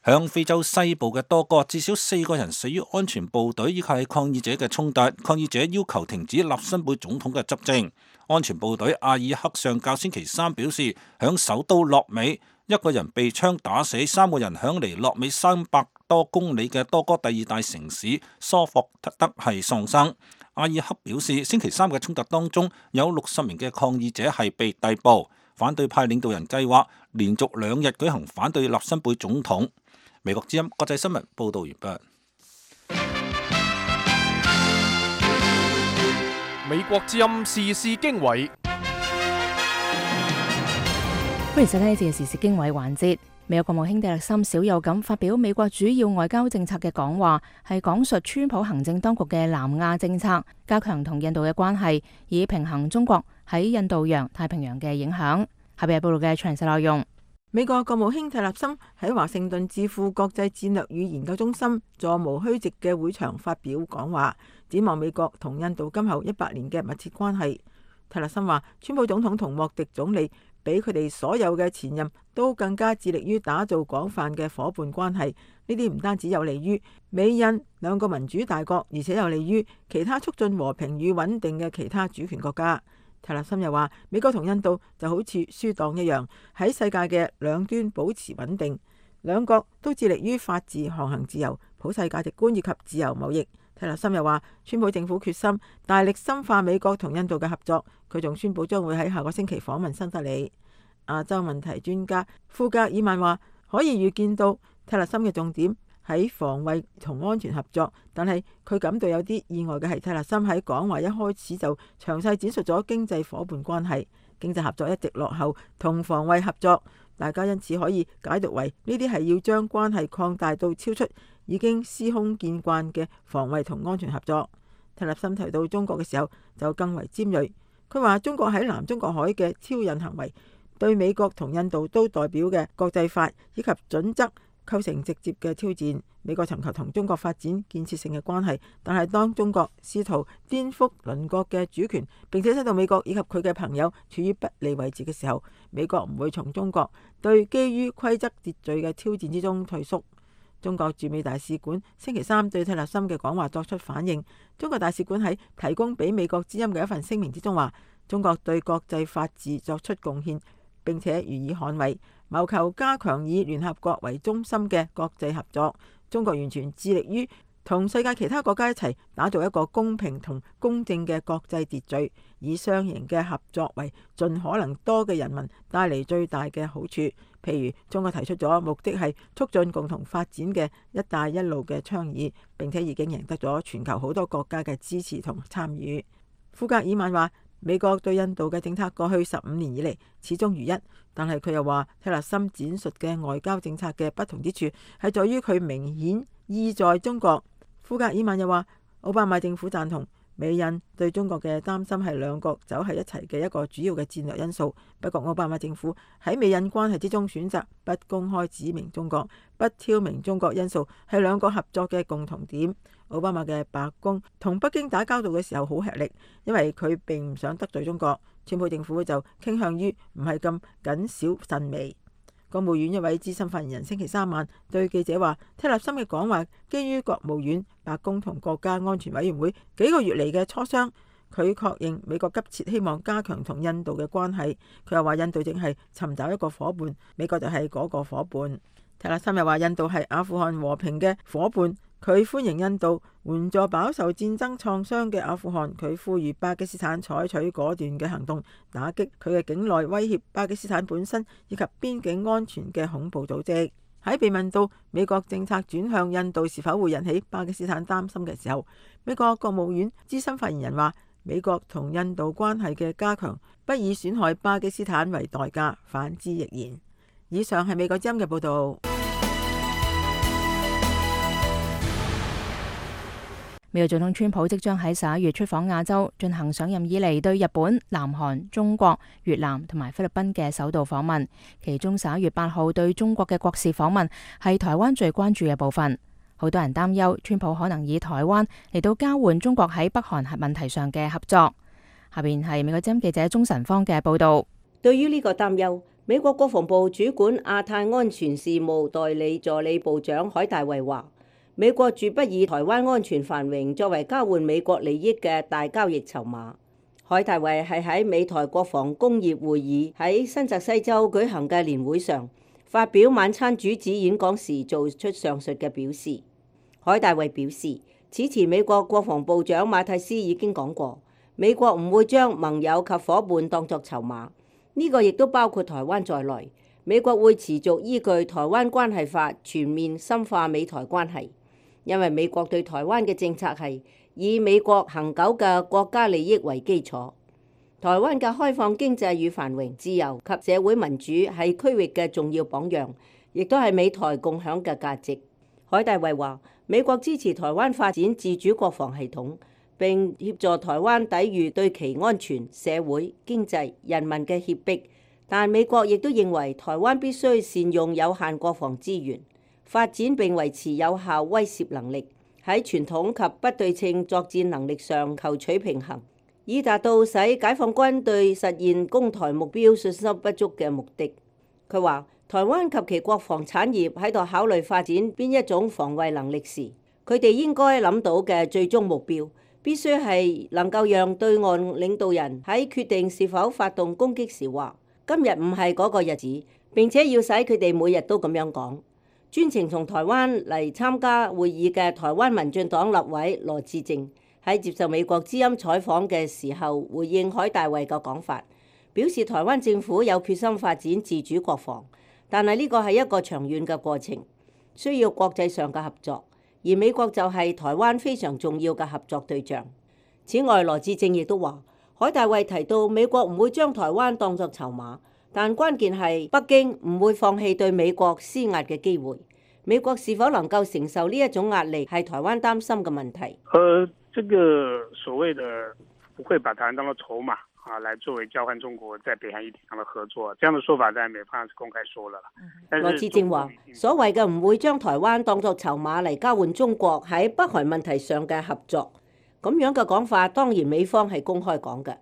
響非洲西部嘅多哥，至少四個人死於安全部隊以及係抗議者嘅衝突。抗議者要求停止納辛貝總統嘅執政。安全部隊阿爾克上校星期三表示，響首都洛美，一個人被槍打死，三個人響離洛美三百多公里嘅多哥第二大城市蘇霍特德係喪生。阿爾克表示，星期三嘅衝突當中有六十名嘅抗議者係被逮捕。反對派領導人計劃連續兩日舉行反對納辛貝總統。美國之音國際新聞報道完畢。美國之音時事經緯，歡迎收聽呢節嘅時事經緯環節。美國國務卿蒂勒森少有咁發表美國主要外交政策嘅講話，係講述川普行政當局嘅南亞政策，加強同印度嘅關係，以平衡中國喺印度洋、太平洋嘅影響。下邊係報道嘅詳細內容。美國國務卿蒂勒森喺華盛頓智庫國際戰略與研究中心座無虛席嘅會場發表講話，展望美國同印度今後一百年嘅密切關係。蒂勒森話，川普總統同莫迪總理比佢哋所有嘅前任都更加致力於打造廣泛嘅夥伴關係。呢啲唔單止有利於美印兩個民主大國，而且有利於其他促進和平與穩定嘅其他主權國家。蒂勒森又話，美國同印度就好似輸黨一樣，喺世界嘅兩端保持穩定，兩國都致力於法治、航行自由、普世價值觀以及自由貿易。蒂勒森又話，川普政府決心大力深化美國同印度嘅合作。佢仲宣布將會喺下個星期訪問新德里。亞洲問題專家庫格爾曼話，可以預見到蒂勒森嘅重點喺防衛同安全合作，但係佢感到有啲意外嘅係，蒂勒森喺講話一開始就詳細展述咗經濟夥伴關係，經濟合作一直落後同防衛合作，大家因此可以解讀為呢啲係要將關係擴大到超出已經司空見慣嘅防衛同安全合作。蒂勒森提到中國嘅時候就更為尖銳，佢話中國喺南中國海嘅挑釁行為對美國同印度都代表嘅國際法以及準則構成直接嘅挑戰。美國尋求同中國發展建設性嘅關係，但係當中國試圖顛覆鄰國嘅主權，並且使到美國以及佢嘅朋友處於不利位置嘅時候，美國唔會從中國對基於規則秩序嘅挑戰之中退縮。中國駐美大使館星期三對蒂勒森嘅講話作出反應。中國大使館喺提供俾美國之音嘅一份聲明之中話，中國對國際法治作出貢獻，並且予以捍衛，謀求加強以聯合國為中心嘅國際合作。中國完全致力於同世界其他國家一齊打造一個公平同公正嘅國際秩序，以雙贏嘅合作為盡可能多嘅人民帶嚟最大嘅好處。譬如中國提出咗目的係促進共同發展嘅一帶一路嘅倡議，並且已經贏得咗全球好多國家嘅支持同參與。庫格爾曼話，美國對印度嘅政策過去十五年以嚟始終如一，但係佢又話，蒂勒森展述嘅外交政策嘅不同之處係在於佢明顯意在中國。庫格爾曼又話，奧巴馬政府贊同美印對中國嘅擔心係兩國走喺一齊嘅一個主要嘅戰略因素。不過奧巴馬政府喺美印關係之中選擇不公開指明中國，不挑明中國因素係兩國合作嘅共同點。奧巴馬嘅白宮同北京打交道嘅時候好吃力，因為佢並唔想得罪中國。川普政府就傾向於唔係咁謹小慎微。國務院一位資深發言人星期三晚對記者話，蒂勒森嘅講話基於國務院、白宮同國家安全委員會幾個月嚟嘅磋商。佢確認美國急切希望加強同印度嘅關係。佢又話印度正係尋找一個伙伴，美國就係嗰個伙伴。蒂勒森又話印度係阿富汗和平嘅伙伴。佢歡迎印度援助飽受戰爭創傷嘅阿富汗。佢呼籲巴基斯坦採取果斷嘅行動，打擊佢嘅境內威脅巴基斯坦本身以及邊境安全嘅恐怖組織。喺被問到美國政策轉向印度是否會引起巴基斯坦擔心嘅時候，美國國務院資深發言人話，美國同印度關係嘅加強不以損害巴基斯坦為代價，反之亦然。以上係美國之音嘅報導。美國總統川普即將喺十一月出訪亞洲，進行上任以嚟對日本、南韓、中國、越南同埋菲律賓嘅首度訪問。其中十一月八號對中國嘅國事訪問係台灣最關注嘅部分。好多人擔憂川普可能以台灣嚟到交換中國喺北韓核問題上嘅合作。下邊係美國之音記者鍾晨芳嘅報道。對於呢個擔憂，美國國防部主管亞太安全事務代理助理部長海大衛話，美國絕不以台灣安全繁榮作為交換美國利益嘅大交易籌碼。海大衛係喺美台國防工業會議喺新澤西州舉行嘅年會上發表晚餐主旨演講時做出上述嘅表示。海大衛表示，此前美國國防部長馬蒂斯已經講過，美國唔會將盟友及夥伴當作籌碼。呢個亦都包括台灣在內，美國會持續依據《台灣關係法》全面深化美台關係，因為美國對台灣嘅政策係以美國恒久嘅國家利益為基礎。台灣嘅開放經濟與繁榮、自由及社會民主係區域嘅重要榜樣，亦都係美台共享嘅價值。海大衛話，美國支持台灣發展自主國防系統，並協助台灣抵禦對其安全、社會、經濟、人民嘅脅迫，但美國亦都認為台灣必須善用有限國防資源，發展並維持有效威懾能力，喺傳統及不對稱作戰能力上求取平衡，以達到使解放軍對實現攻台目標信心不足嘅目的。佢話，台灣及其國防產業喺度考慮發展邊一種防衛能力時，佢哋應該諗到嘅最終目標必須係能夠讓對岸領導人喺決定是否發動攻擊時話，今日唔係嗰個日子，並且要使佢哋每日都咁樣講。專程從台灣嚟參加會議嘅台灣民進黨立委羅致政喺接受美國之音採訪嘅時候，回應海大衛嘅講法，表示台灣政府有決心發展自主國防，但係呢個係一個長遠嘅過程，需要國際上嘅合作。而美國就係台灣非常重要嘅合作對象。此外，羅致政亦都話，海大衛提到美國唔會將台灣當作籌碼，但關鍵係北京唔會放棄對美國施壓嘅機會。美國是否能夠承受呢一種壓力，係台灣擔心嘅問題。呃，這個所謂的不會把台灣當作籌碼啊，來作為交換中國在北韓議題上的合作，這樣的說法在美方是公開說了。羅致政話，所謂嘅唔會將台灣當作籌碼嚟交換中國喺北韓問題上嘅合作，咁樣嘅講法當然美方係公開講嘅，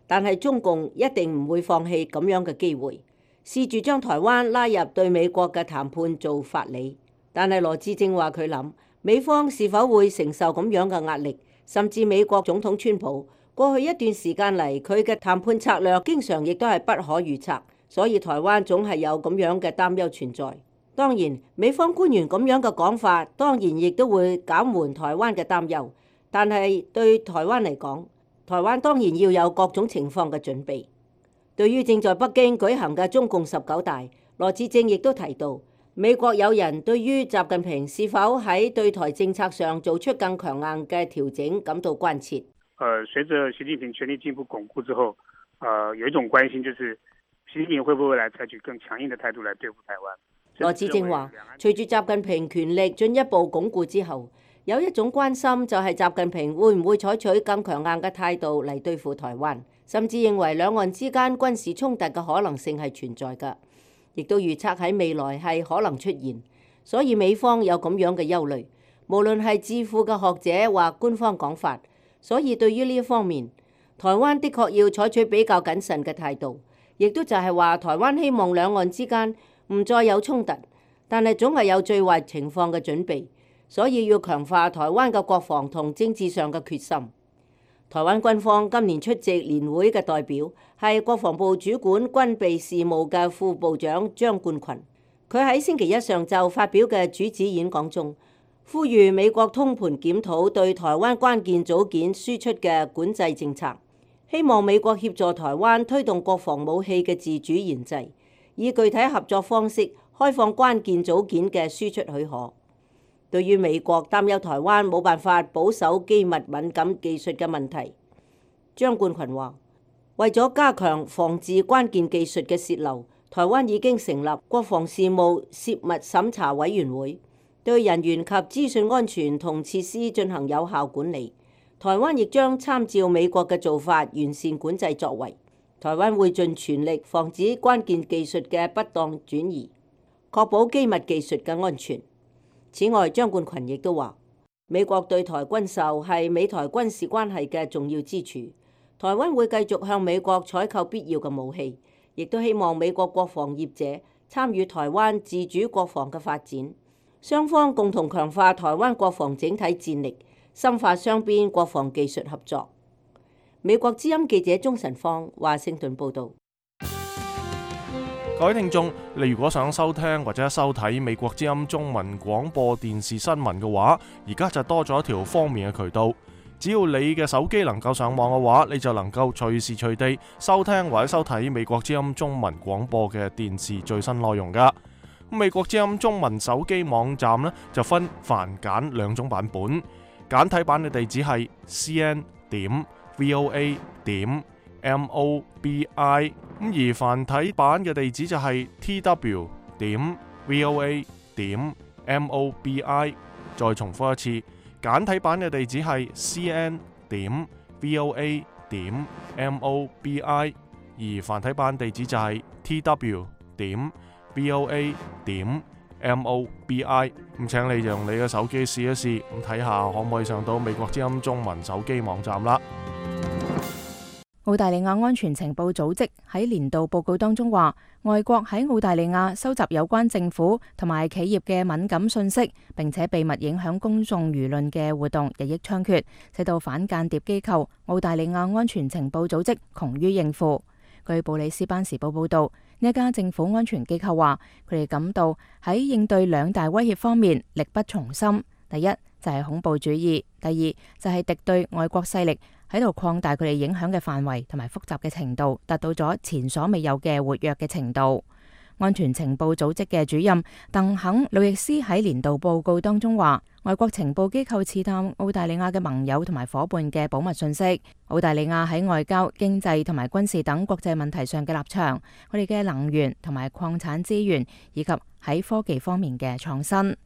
但係中共一定唔會放棄咁樣嘅機會，試住將台灣拉入對美國嘅談判做法理。但係羅致政話佢諗，美方是否會承受咁樣嘅壓力，甚至美國總統川普過去一段時間嚟，佢嘅談判策略經常亦都係不可預測，所以台灣總係有咁樣嘅擔憂存在。當然，美方官員咁樣嘅講法，當然亦都會減緩台灣嘅擔憂。但係對台灣嚟講，台灣當然要有各種情況嘅準備。對於正在北京舉行嘅中共十九大，羅致政亦都提到，美國有人對於習近平是否喺對台政策上做出更強硬嘅調整感到關切。呃，隨着習近平權力進一步鞏固之後，呃，有一種關心就是習近平會不會來採取更強硬的態度來對付台灣。羅致政話，隨住習近平權力進一步鞏固之後，有一種關心就係習近平會唔會採取更強硬嘅態度嚟對付台灣，甚至認為兩岸之間軍事衝突嘅可能性係存在㗎，亦都預測喺未來係可能出現。所以美方有咁樣嘅憂慮，無論係智庫嘅學者或官方講法。所以對於呢一方面，台灣的確要採取比較謹慎嘅態度，亦都就係話台灣希望兩岸之間唔再有衝突，但係總係有最壞情況嘅準備，所以要強化台灣嘅國防同政治上嘅決心。台灣軍方今年出席年會嘅代表係國防部主管軍備事務嘅副部長張冠群，佢喺星期一上晝發表嘅主旨演講中，呼籲美國通盤檢討對台灣關鍵組件輸出嘅管制政策，希望美國協助台灣推動國防武器嘅自主研製，以具體合作方式開放關鍵組件嘅輸出許可。對於美國擔憂台灣冇辦法保守機密敏感技術嘅問題，張冠群話：為咗加強防治關鍵技術嘅洩漏，台灣已經成立國防事務泄密審查委員會，對人員及資訊安全同設施進行有效管理。台灣亦將參照美國嘅做法，完善管制作為。台灣會盡全力防止關鍵技術嘅不當轉移，確保機密技術嘅安全。此外，張冠群亦都話，美國對台軍售係美台軍事關係嘅重要支柱。台灣會繼續向美國採購必要嘅武器，亦都希望美國國防業者參與台灣自主國防嘅發展，雙方共同強化台灣國防整體戰力，深化雙邊國防技術合作。美國之音記者鍾晨芳華盛頓報導。各位聽眾，你如果想收聽或者收睇美國之音中文廣播電視新聞嘅話，而家就多咗一條方便嘅渠道。只要你嘅手機能夠上網嘅話，你就能夠隨時隨地收聽或者收睇美國之音中文廣播嘅電視最新內容噶。美國之音中文手機網站呢，就分繁簡兩種版本，簡體版嘅地址係 c n 點 v o a 點 m o b i， 咁而繁體版嘅地址就係 t w 點 v o a 點 m o b i。再重複一次，簡體版嘅地址係 c n 點 v o a 點 m o b i， 而繁體版地址就係 t w 點 v o a 點 m o b i。咁請你用你嘅手機試一試，咁睇下可唔可以上到美國之音中文手機網站啦。澳大利亞安全情報組織喺年度報告當中話，外國喺澳大利亞收集有關政府同埋企業嘅敏感信息，並且秘密影響公眾輿論嘅活動日益猖獗，使到反間諜機構澳大利亞安全情報組織窮於應付。據布里斯班時報報道，呢一家政府安全機構話，佢哋感到喺應對兩大威脅方面力不從心。第一就係恐怖主義，第二就係敵對外國勢力喺度擴大佢哋影響嘅範圍同埋複雜嘅程度，達到咗前所未有嘅活躍嘅程度。安全情報組織嘅主任鄧肯·路易斯喺年度報告當中話，外國情報機構刺探澳大利亞嘅盟友同埋伙伴嘅保密信息，澳大利亞喺外交、經濟同埋軍事等國際問題上嘅立場，佢哋嘅能源同埋礦產資源，以及喺科技方面嘅創新。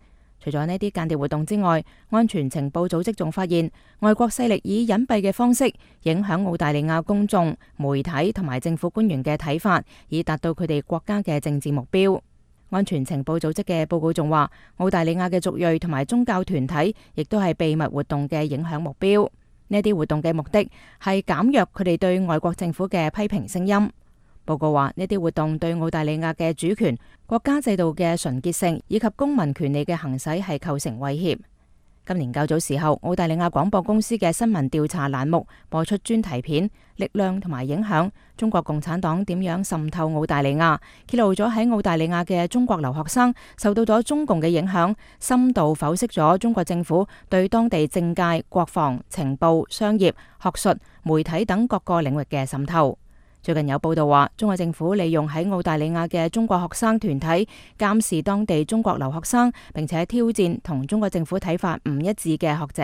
除咗呢啲間諜活動之外，安全情報組織仲發現外國勢力以隱蔽嘅方式影響澳大利亞公眾、媒體同埋政府官員嘅睇法，以達到佢哋國家嘅政治目標。安全情報組織嘅報告仲話，澳大利亞嘅族裔同埋宗教團體亦都係秘密活動嘅影響目標。呢啲活動嘅目的係減弱佢哋對外國政府嘅批評聲音。報告話，呢啲活動對澳大利亞嘅主權、國家制度嘅純潔性以及公民權利嘅行使係構成威脅。今年較早時候，澳大利亞廣播公司嘅新聞調查欄目播出專題片《力量同埋影響：中國共產黨點樣滲透澳大利亞》，揭露咗喺澳大利亞嘅中國留學生受到咗中共嘅影響，深度剖析咗中國政府對當地政界、國防、情報、商業、學術、媒體等各個領域嘅滲透。最近有報道話，中國政府利用喺澳大利亞嘅中國學生團體監視當地中國留學生，並且挑戰同中國政府睇法唔一致嘅學者。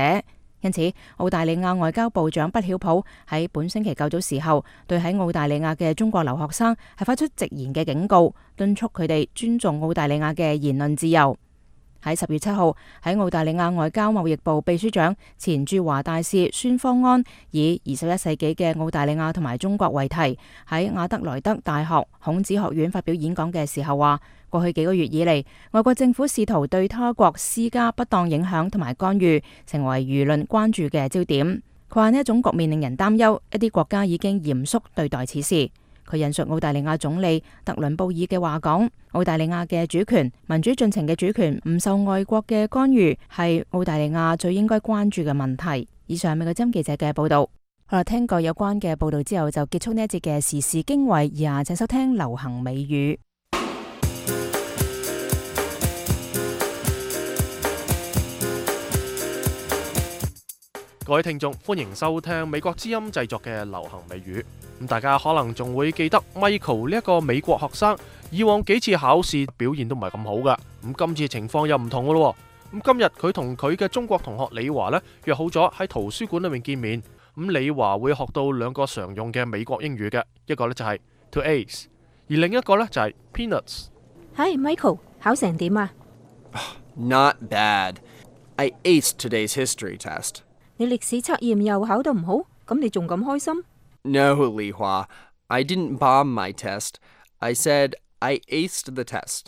因此，澳大利亞外交部長畢曉普喺本星期較早時候，對喺澳大利亞嘅中國留學生係發出直言嘅警告，敦促佢哋尊重澳大利亞嘅言論自由。喺十月七號，喺澳大利亞外交貿易部秘書長、前駐華大使孫方安以二十一世紀嘅澳大利亞同埋中國為題，喺亞德萊德大學孔子學院發表演講嘅時候話，過去幾個月以嚟，外國政府試圖對他國施加不當影響同埋干預，成為輿論關注嘅焦點。佢話呢一種局面令人擔憂，一啲國家已經嚴肅對待此事。佢引述澳大利亞總理特倫布爾嘅話講，澳大利亞嘅主權、民主進程嘅主權唔受外國嘅干預，係澳大利亞最應該關注嘅問題。以上美國之音記者嘅報道。好啦，聽過有關嘅報道之後，就結束呢一節嘅時事經緯，以下請收聽流行美語。各位聽眾，歡迎收聽美國之音製作嘅流行美語。咁大家可能仲會記得 Michael 呢一個美國學生，以往幾次考試表現都唔係咁好噶。咁今次情況又唔同噶咯。咁今日佢同佢嘅中國同學李華呢，約好咗喺圖書館裏面見面。咁李華會學到兩個常用嘅美國英語嘅，一個呢就係 to ace， 而另一個呢就係 peanuts。Hi Michael，考成點啊？ Not bad. I aced today's history test. 你歷史測驗又考得唔好，咁你仲咁開心？ No, Li Hua. I didn't bomb my test. I said I aced the test.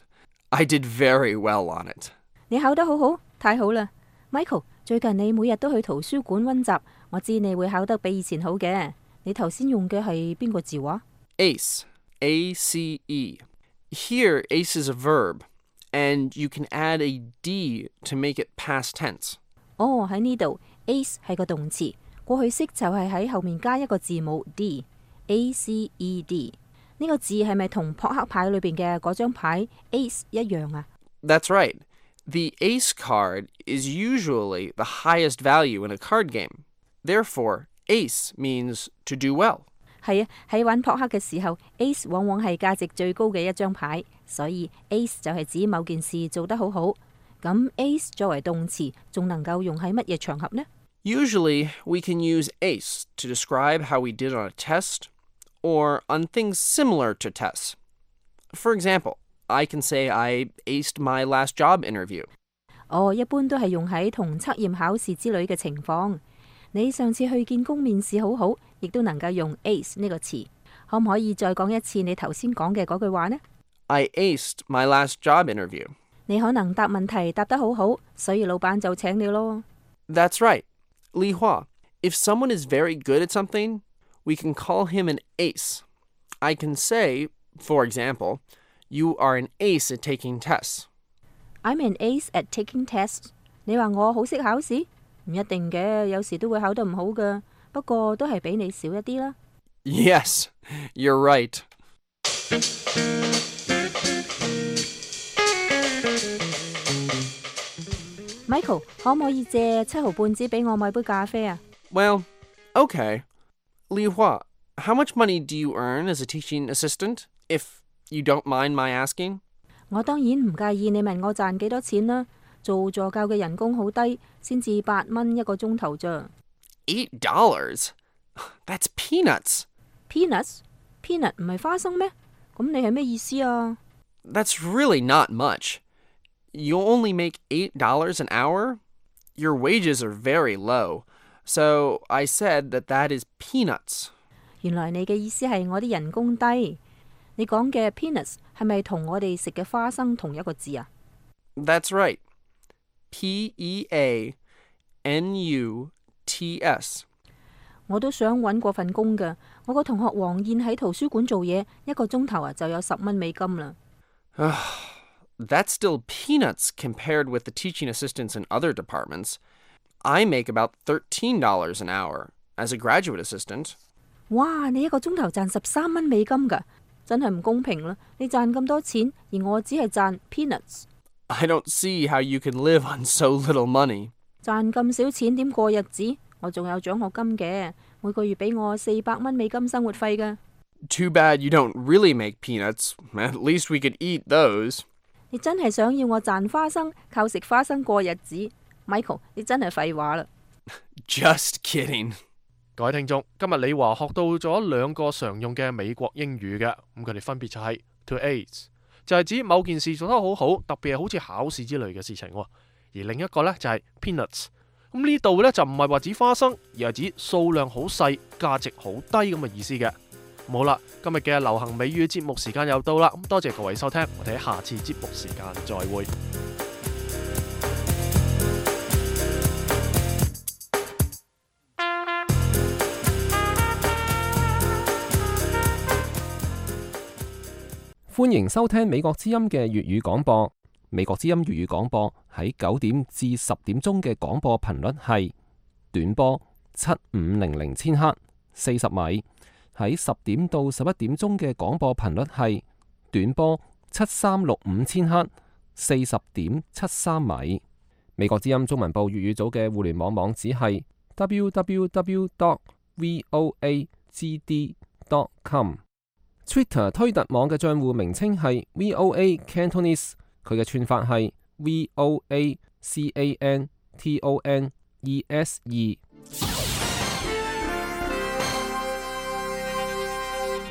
I did very well on it. 你考得好好，太好啦 ！Michael， 最近你每日都去圖書館溫習，我知你會考得比以前好嘅。你頭先用嘅係邊個字話？ Ace. A C E. Here, ace is a verb, and you can add a D to make it past tense. 哦，喺呢度 ace 係個動詞，過去式就係喺後面加一個字母 D，A C E D。呢個字係咪同撲克牌裏邊嘅嗰張牌 ace 一樣啊？ That's right. The ace card is usually the highest value in a card game. Therefore, ace means to do well. 係啊，喺玩撲克嘅時候 ，ace 往往係價值最高嘅一張牌，所以 ace 就係指某件事做得好好。咁 ace 作為動詞，仲能夠用喺乜嘢場合呢？ Usually, we can use ace to describe how we did on a test or on things similar to tests. For example, I can say I aced my last job interview. 哦，一般都係用喺同測驗考試之類嘅情況。你上次去見工面試好好，亦都能夠用 ace 呢個詞。可唔可以再講一次你頭先講嘅嗰句話呢？ I aced my last job interview. 你可能答問題答得好好，所以老闆就請你咯。 That's right. Li Hua, if someone is very good at something, we can call him an ace. I can say, for example, you are an ace at taking tests. I'm an ace at taking tests. 你話我好識考試？唔一定嘅，有時都會考得唔好㗎。不過都係比你少一啲啦。 Yes, you're right. Michael， 可唔可以借七毫半紙俾我買杯咖啡啊？ Well, okay. Li Hua, how much money do you earn as a teaching assistant, if you don't mind my asking? 我當然唔介意你問我賺幾多錢啦。做助教嘅人工好低，先至八蚊一個鐘頭咋。Eight dollars? That's peanuts. Peanuts? Peanut 唔係花生咩？咁你係咩意思啊？ That's really not much. You only make eight dollars an hour? Your wages are very low. So I said that that is peanuts. 原來你嘅意思係我啲人工低。你講嘅 peanuts 係咪同我哋食嘅花生同一個字啊？ That's right. P E A N U T S. 我都想揾過份工㗎。我個同學黃燕喺圖書館做嘢，一個鐘頭啊就有十蚊美金啦。That's still peanuts compared with the teaching assistants in other departments. I make about thirteen dollars an hour as a graduate assistant. 哇！你一個鐘頭賺十三蚊美金㗎，真係唔公平啦！你賺咁多錢，而我只係賺 peanuts。 I don't see how you can live on so little money. 賺咁少錢點過日子？我仲有獎學金嘅，每個月俾我四百蚊美金生活費㗎。 Too bad you don't really make peanuts. At least we could eat those. 你真係想要我賺花生，靠食花生過日子 ？Michael， 你真係廢話啦。Just kidding. 各位聽眾，今日李華學到咗兩個常用嘅美國英語嘅，咁佢哋分別就係 to ace， 就係指某件事做得好好，特別係好似考試之類嘅事情，而另一個呢，就係 peanuts。咁呢度呢，就唔係話指花生，而係指數量好細、價值好低咁嘅意思嘅。好啦，今日嘅流行美語節目時間又到啦，咁多謝各位收聽，我哋喺下次節目時間再會。歡迎收聽美國之音嘅粵語廣播。美國之音粵語廣播喺九點至十點鐘嘅廣播頻率係短波七五零零千赫四十米，喺十點到十一點鐘嘅廣播頻率係短波七三六五千赫四十點七三米。美國之音中文部粵語組嘅互聯網網址係 w w w dot voa g d dot com。Twitter 推特網嘅賬戶名稱係 V O A Cantonese， 佢嘅串法係 V O A C A N T O N E S E。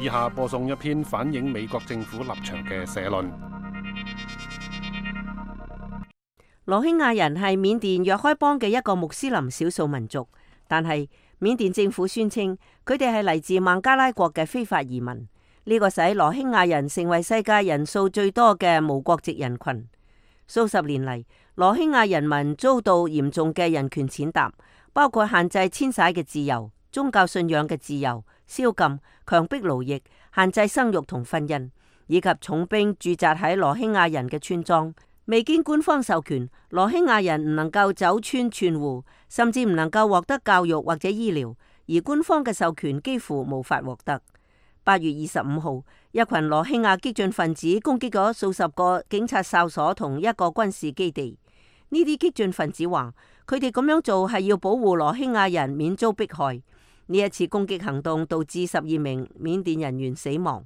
以下播送一篇反映美國政府立場嘅社論。羅興亞人係緬甸若開邦嘅一個穆斯林少數民族，但係緬甸政府宣稱佢哋係嚟自孟加拉國嘅非法移民。呢個使羅興亞人成為世界人數最多嘅無國籍人群。數十年嚟，羅興亞人民遭到嚴重嘅人權踐踏，包括限制遷徙嘅自由、宗教信仰嘅自由、宵禁、強迫勞役、限制生育同婚姻，以及重兵駐紮喺羅興亞人嘅村莊。未經官方授權，羅興亞人唔能夠走村串戶，甚至唔能夠獲得教育或者醫療，而官方嘅授權幾乎無法獲得。八月二十五號，一群羅興亞激進分子攻擊咗數十個警察哨所同一個軍事基地。呢啲激進分子話，佢哋咁樣做係要保護羅興亞人免遭迫害。呢一次攻擊行動導致十二名緬甸人員死亡。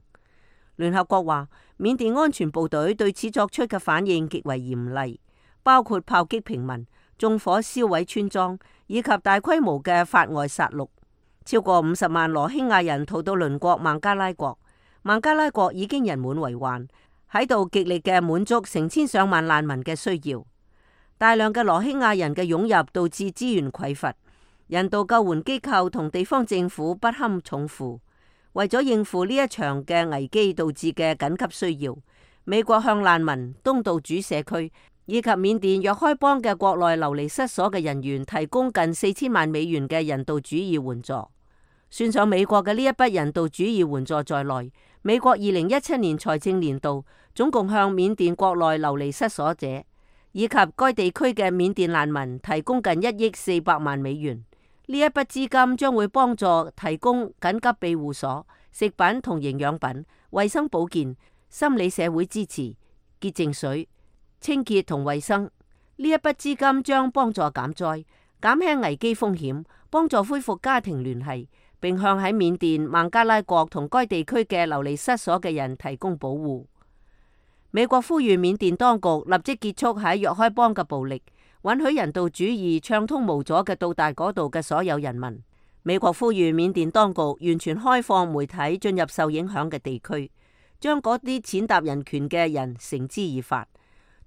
聯合國話，緬甸安全部隊對此作出嘅反應極為嚴厲，包括炮擊平民、縱火燒毀村莊，以及大規模嘅法外殺戮。超過五十萬羅興亞人逃到鄰國孟加拉國，孟加拉國已經人滿為患，喺度極力嘅滿足成千上萬難民嘅需要。大量嘅羅興亞人嘅湧入導致資源匱乏，人道救援機構同地方政府不堪重負。為咗應付呢一場嘅危機導致嘅緊急需要，美國向難民、東道主社區以及緬甸若開邦嘅國內流離失所嘅人員提供近四千萬美元嘅人道主義援助。算上美國嘅呢一筆人道主義援助在內，美國二零一七年財政年度總共向緬甸國內流離失所者以及該地區嘅緬甸難民提供近一億四百萬美元。呢一筆資金將會幫助提供緊急庇護所、食品同營養品、衛生保健、心理社會支持、潔淨水、清潔同衛生。呢一筆資金將幫助減災、減輕危機風險，幫助恢復家庭聯繫，並向喺緬甸、孟加拉國同該地區嘅流離失所嘅人提供保護。美國呼籲緬甸當局立即結束喺若開邦嘅暴力，允許人道主義暢通無阻嘅到達嗰度嘅所有人民。美國呼籲緬甸當局完全開放媒體進入受影響嘅地區，將嗰啲踐踏人權嘅人繩之以法，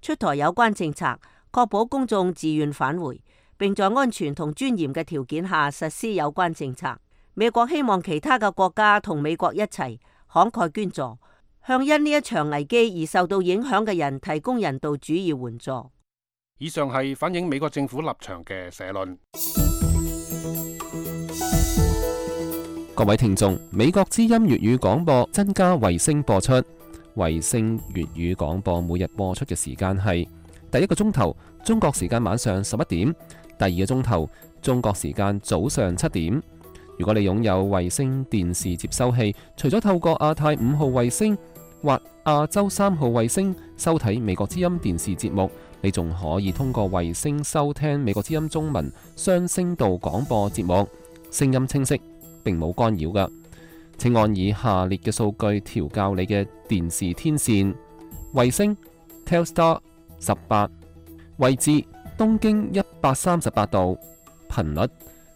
出台有關政策，確保公眾自願返回，並在安全同尊嚴嘅條件下實施有關政策。美國希望其他嘅國家同美國一齊慷慨捐助，向因呢一場危機而受到影響嘅人提供人道主義援助。以上係反映美國政府立場嘅社論。各位聽眾，美國之音粵語廣播增加衛星播出，衛星粵語廣播每日播出嘅時間係第一個鐘頭中國時間晚上十一點，第二個鐘頭中國時間早上七點。如果你擁有衛星電視接收器，除咗透過亞太五號衛星或亞洲三號衛星收睇美國之音電視節目，你仲可以通過衛星收聽美國之音中文雙聲道廣播節目，聲音清晰，並冇干擾㗎。請按以下列嘅數據調校你嘅電視天線：衛星 Telstar 十八，位置東經一百三十八度，頻率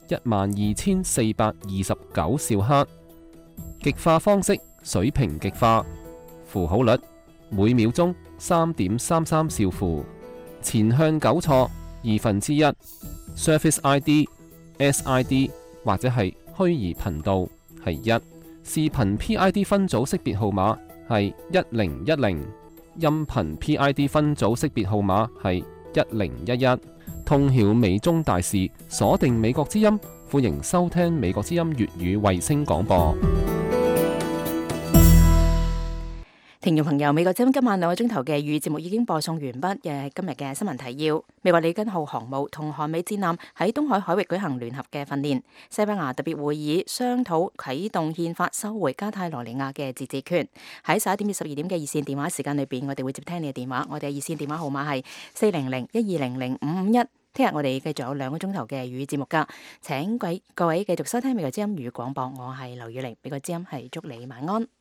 一萬二千四百二十九兆赫，極化方式水平極化，符號率每秒鐘三點三三兆符，前向糾錯二分之一 ，Service I D S I D 或者係虛擬頻道係一，視頻 P I D 分組識別號碼係一零一零，音頻 P I D 分組識別號碼係一零一一。通曉美中大事，鎖定美國之音，歡迎收聽美國之音粵語衛星廣播。聽眾朋友，美國之音今晚兩個鐘頭嘅粵語節目已經播送完畢。嘅今日嘅新聞提要：美國里根號航母同韓美戰艦喺東海海域舉行聯合嘅訓練。西班牙特別會議商討啟動憲法收回加泰羅尼亞嘅自治權。喺十一點至十二點嘅熱線電話時間裏邊，我哋會接聽你嘅電話。我哋嘅熱線電話號碼係四零零一二零零五五一。聽日我哋繼續有兩個鐘頭嘅粵語節目噶，請各位各位繼續收聽美國之音粵語廣播。我係劉宇玲，美國之音係祝你晚安。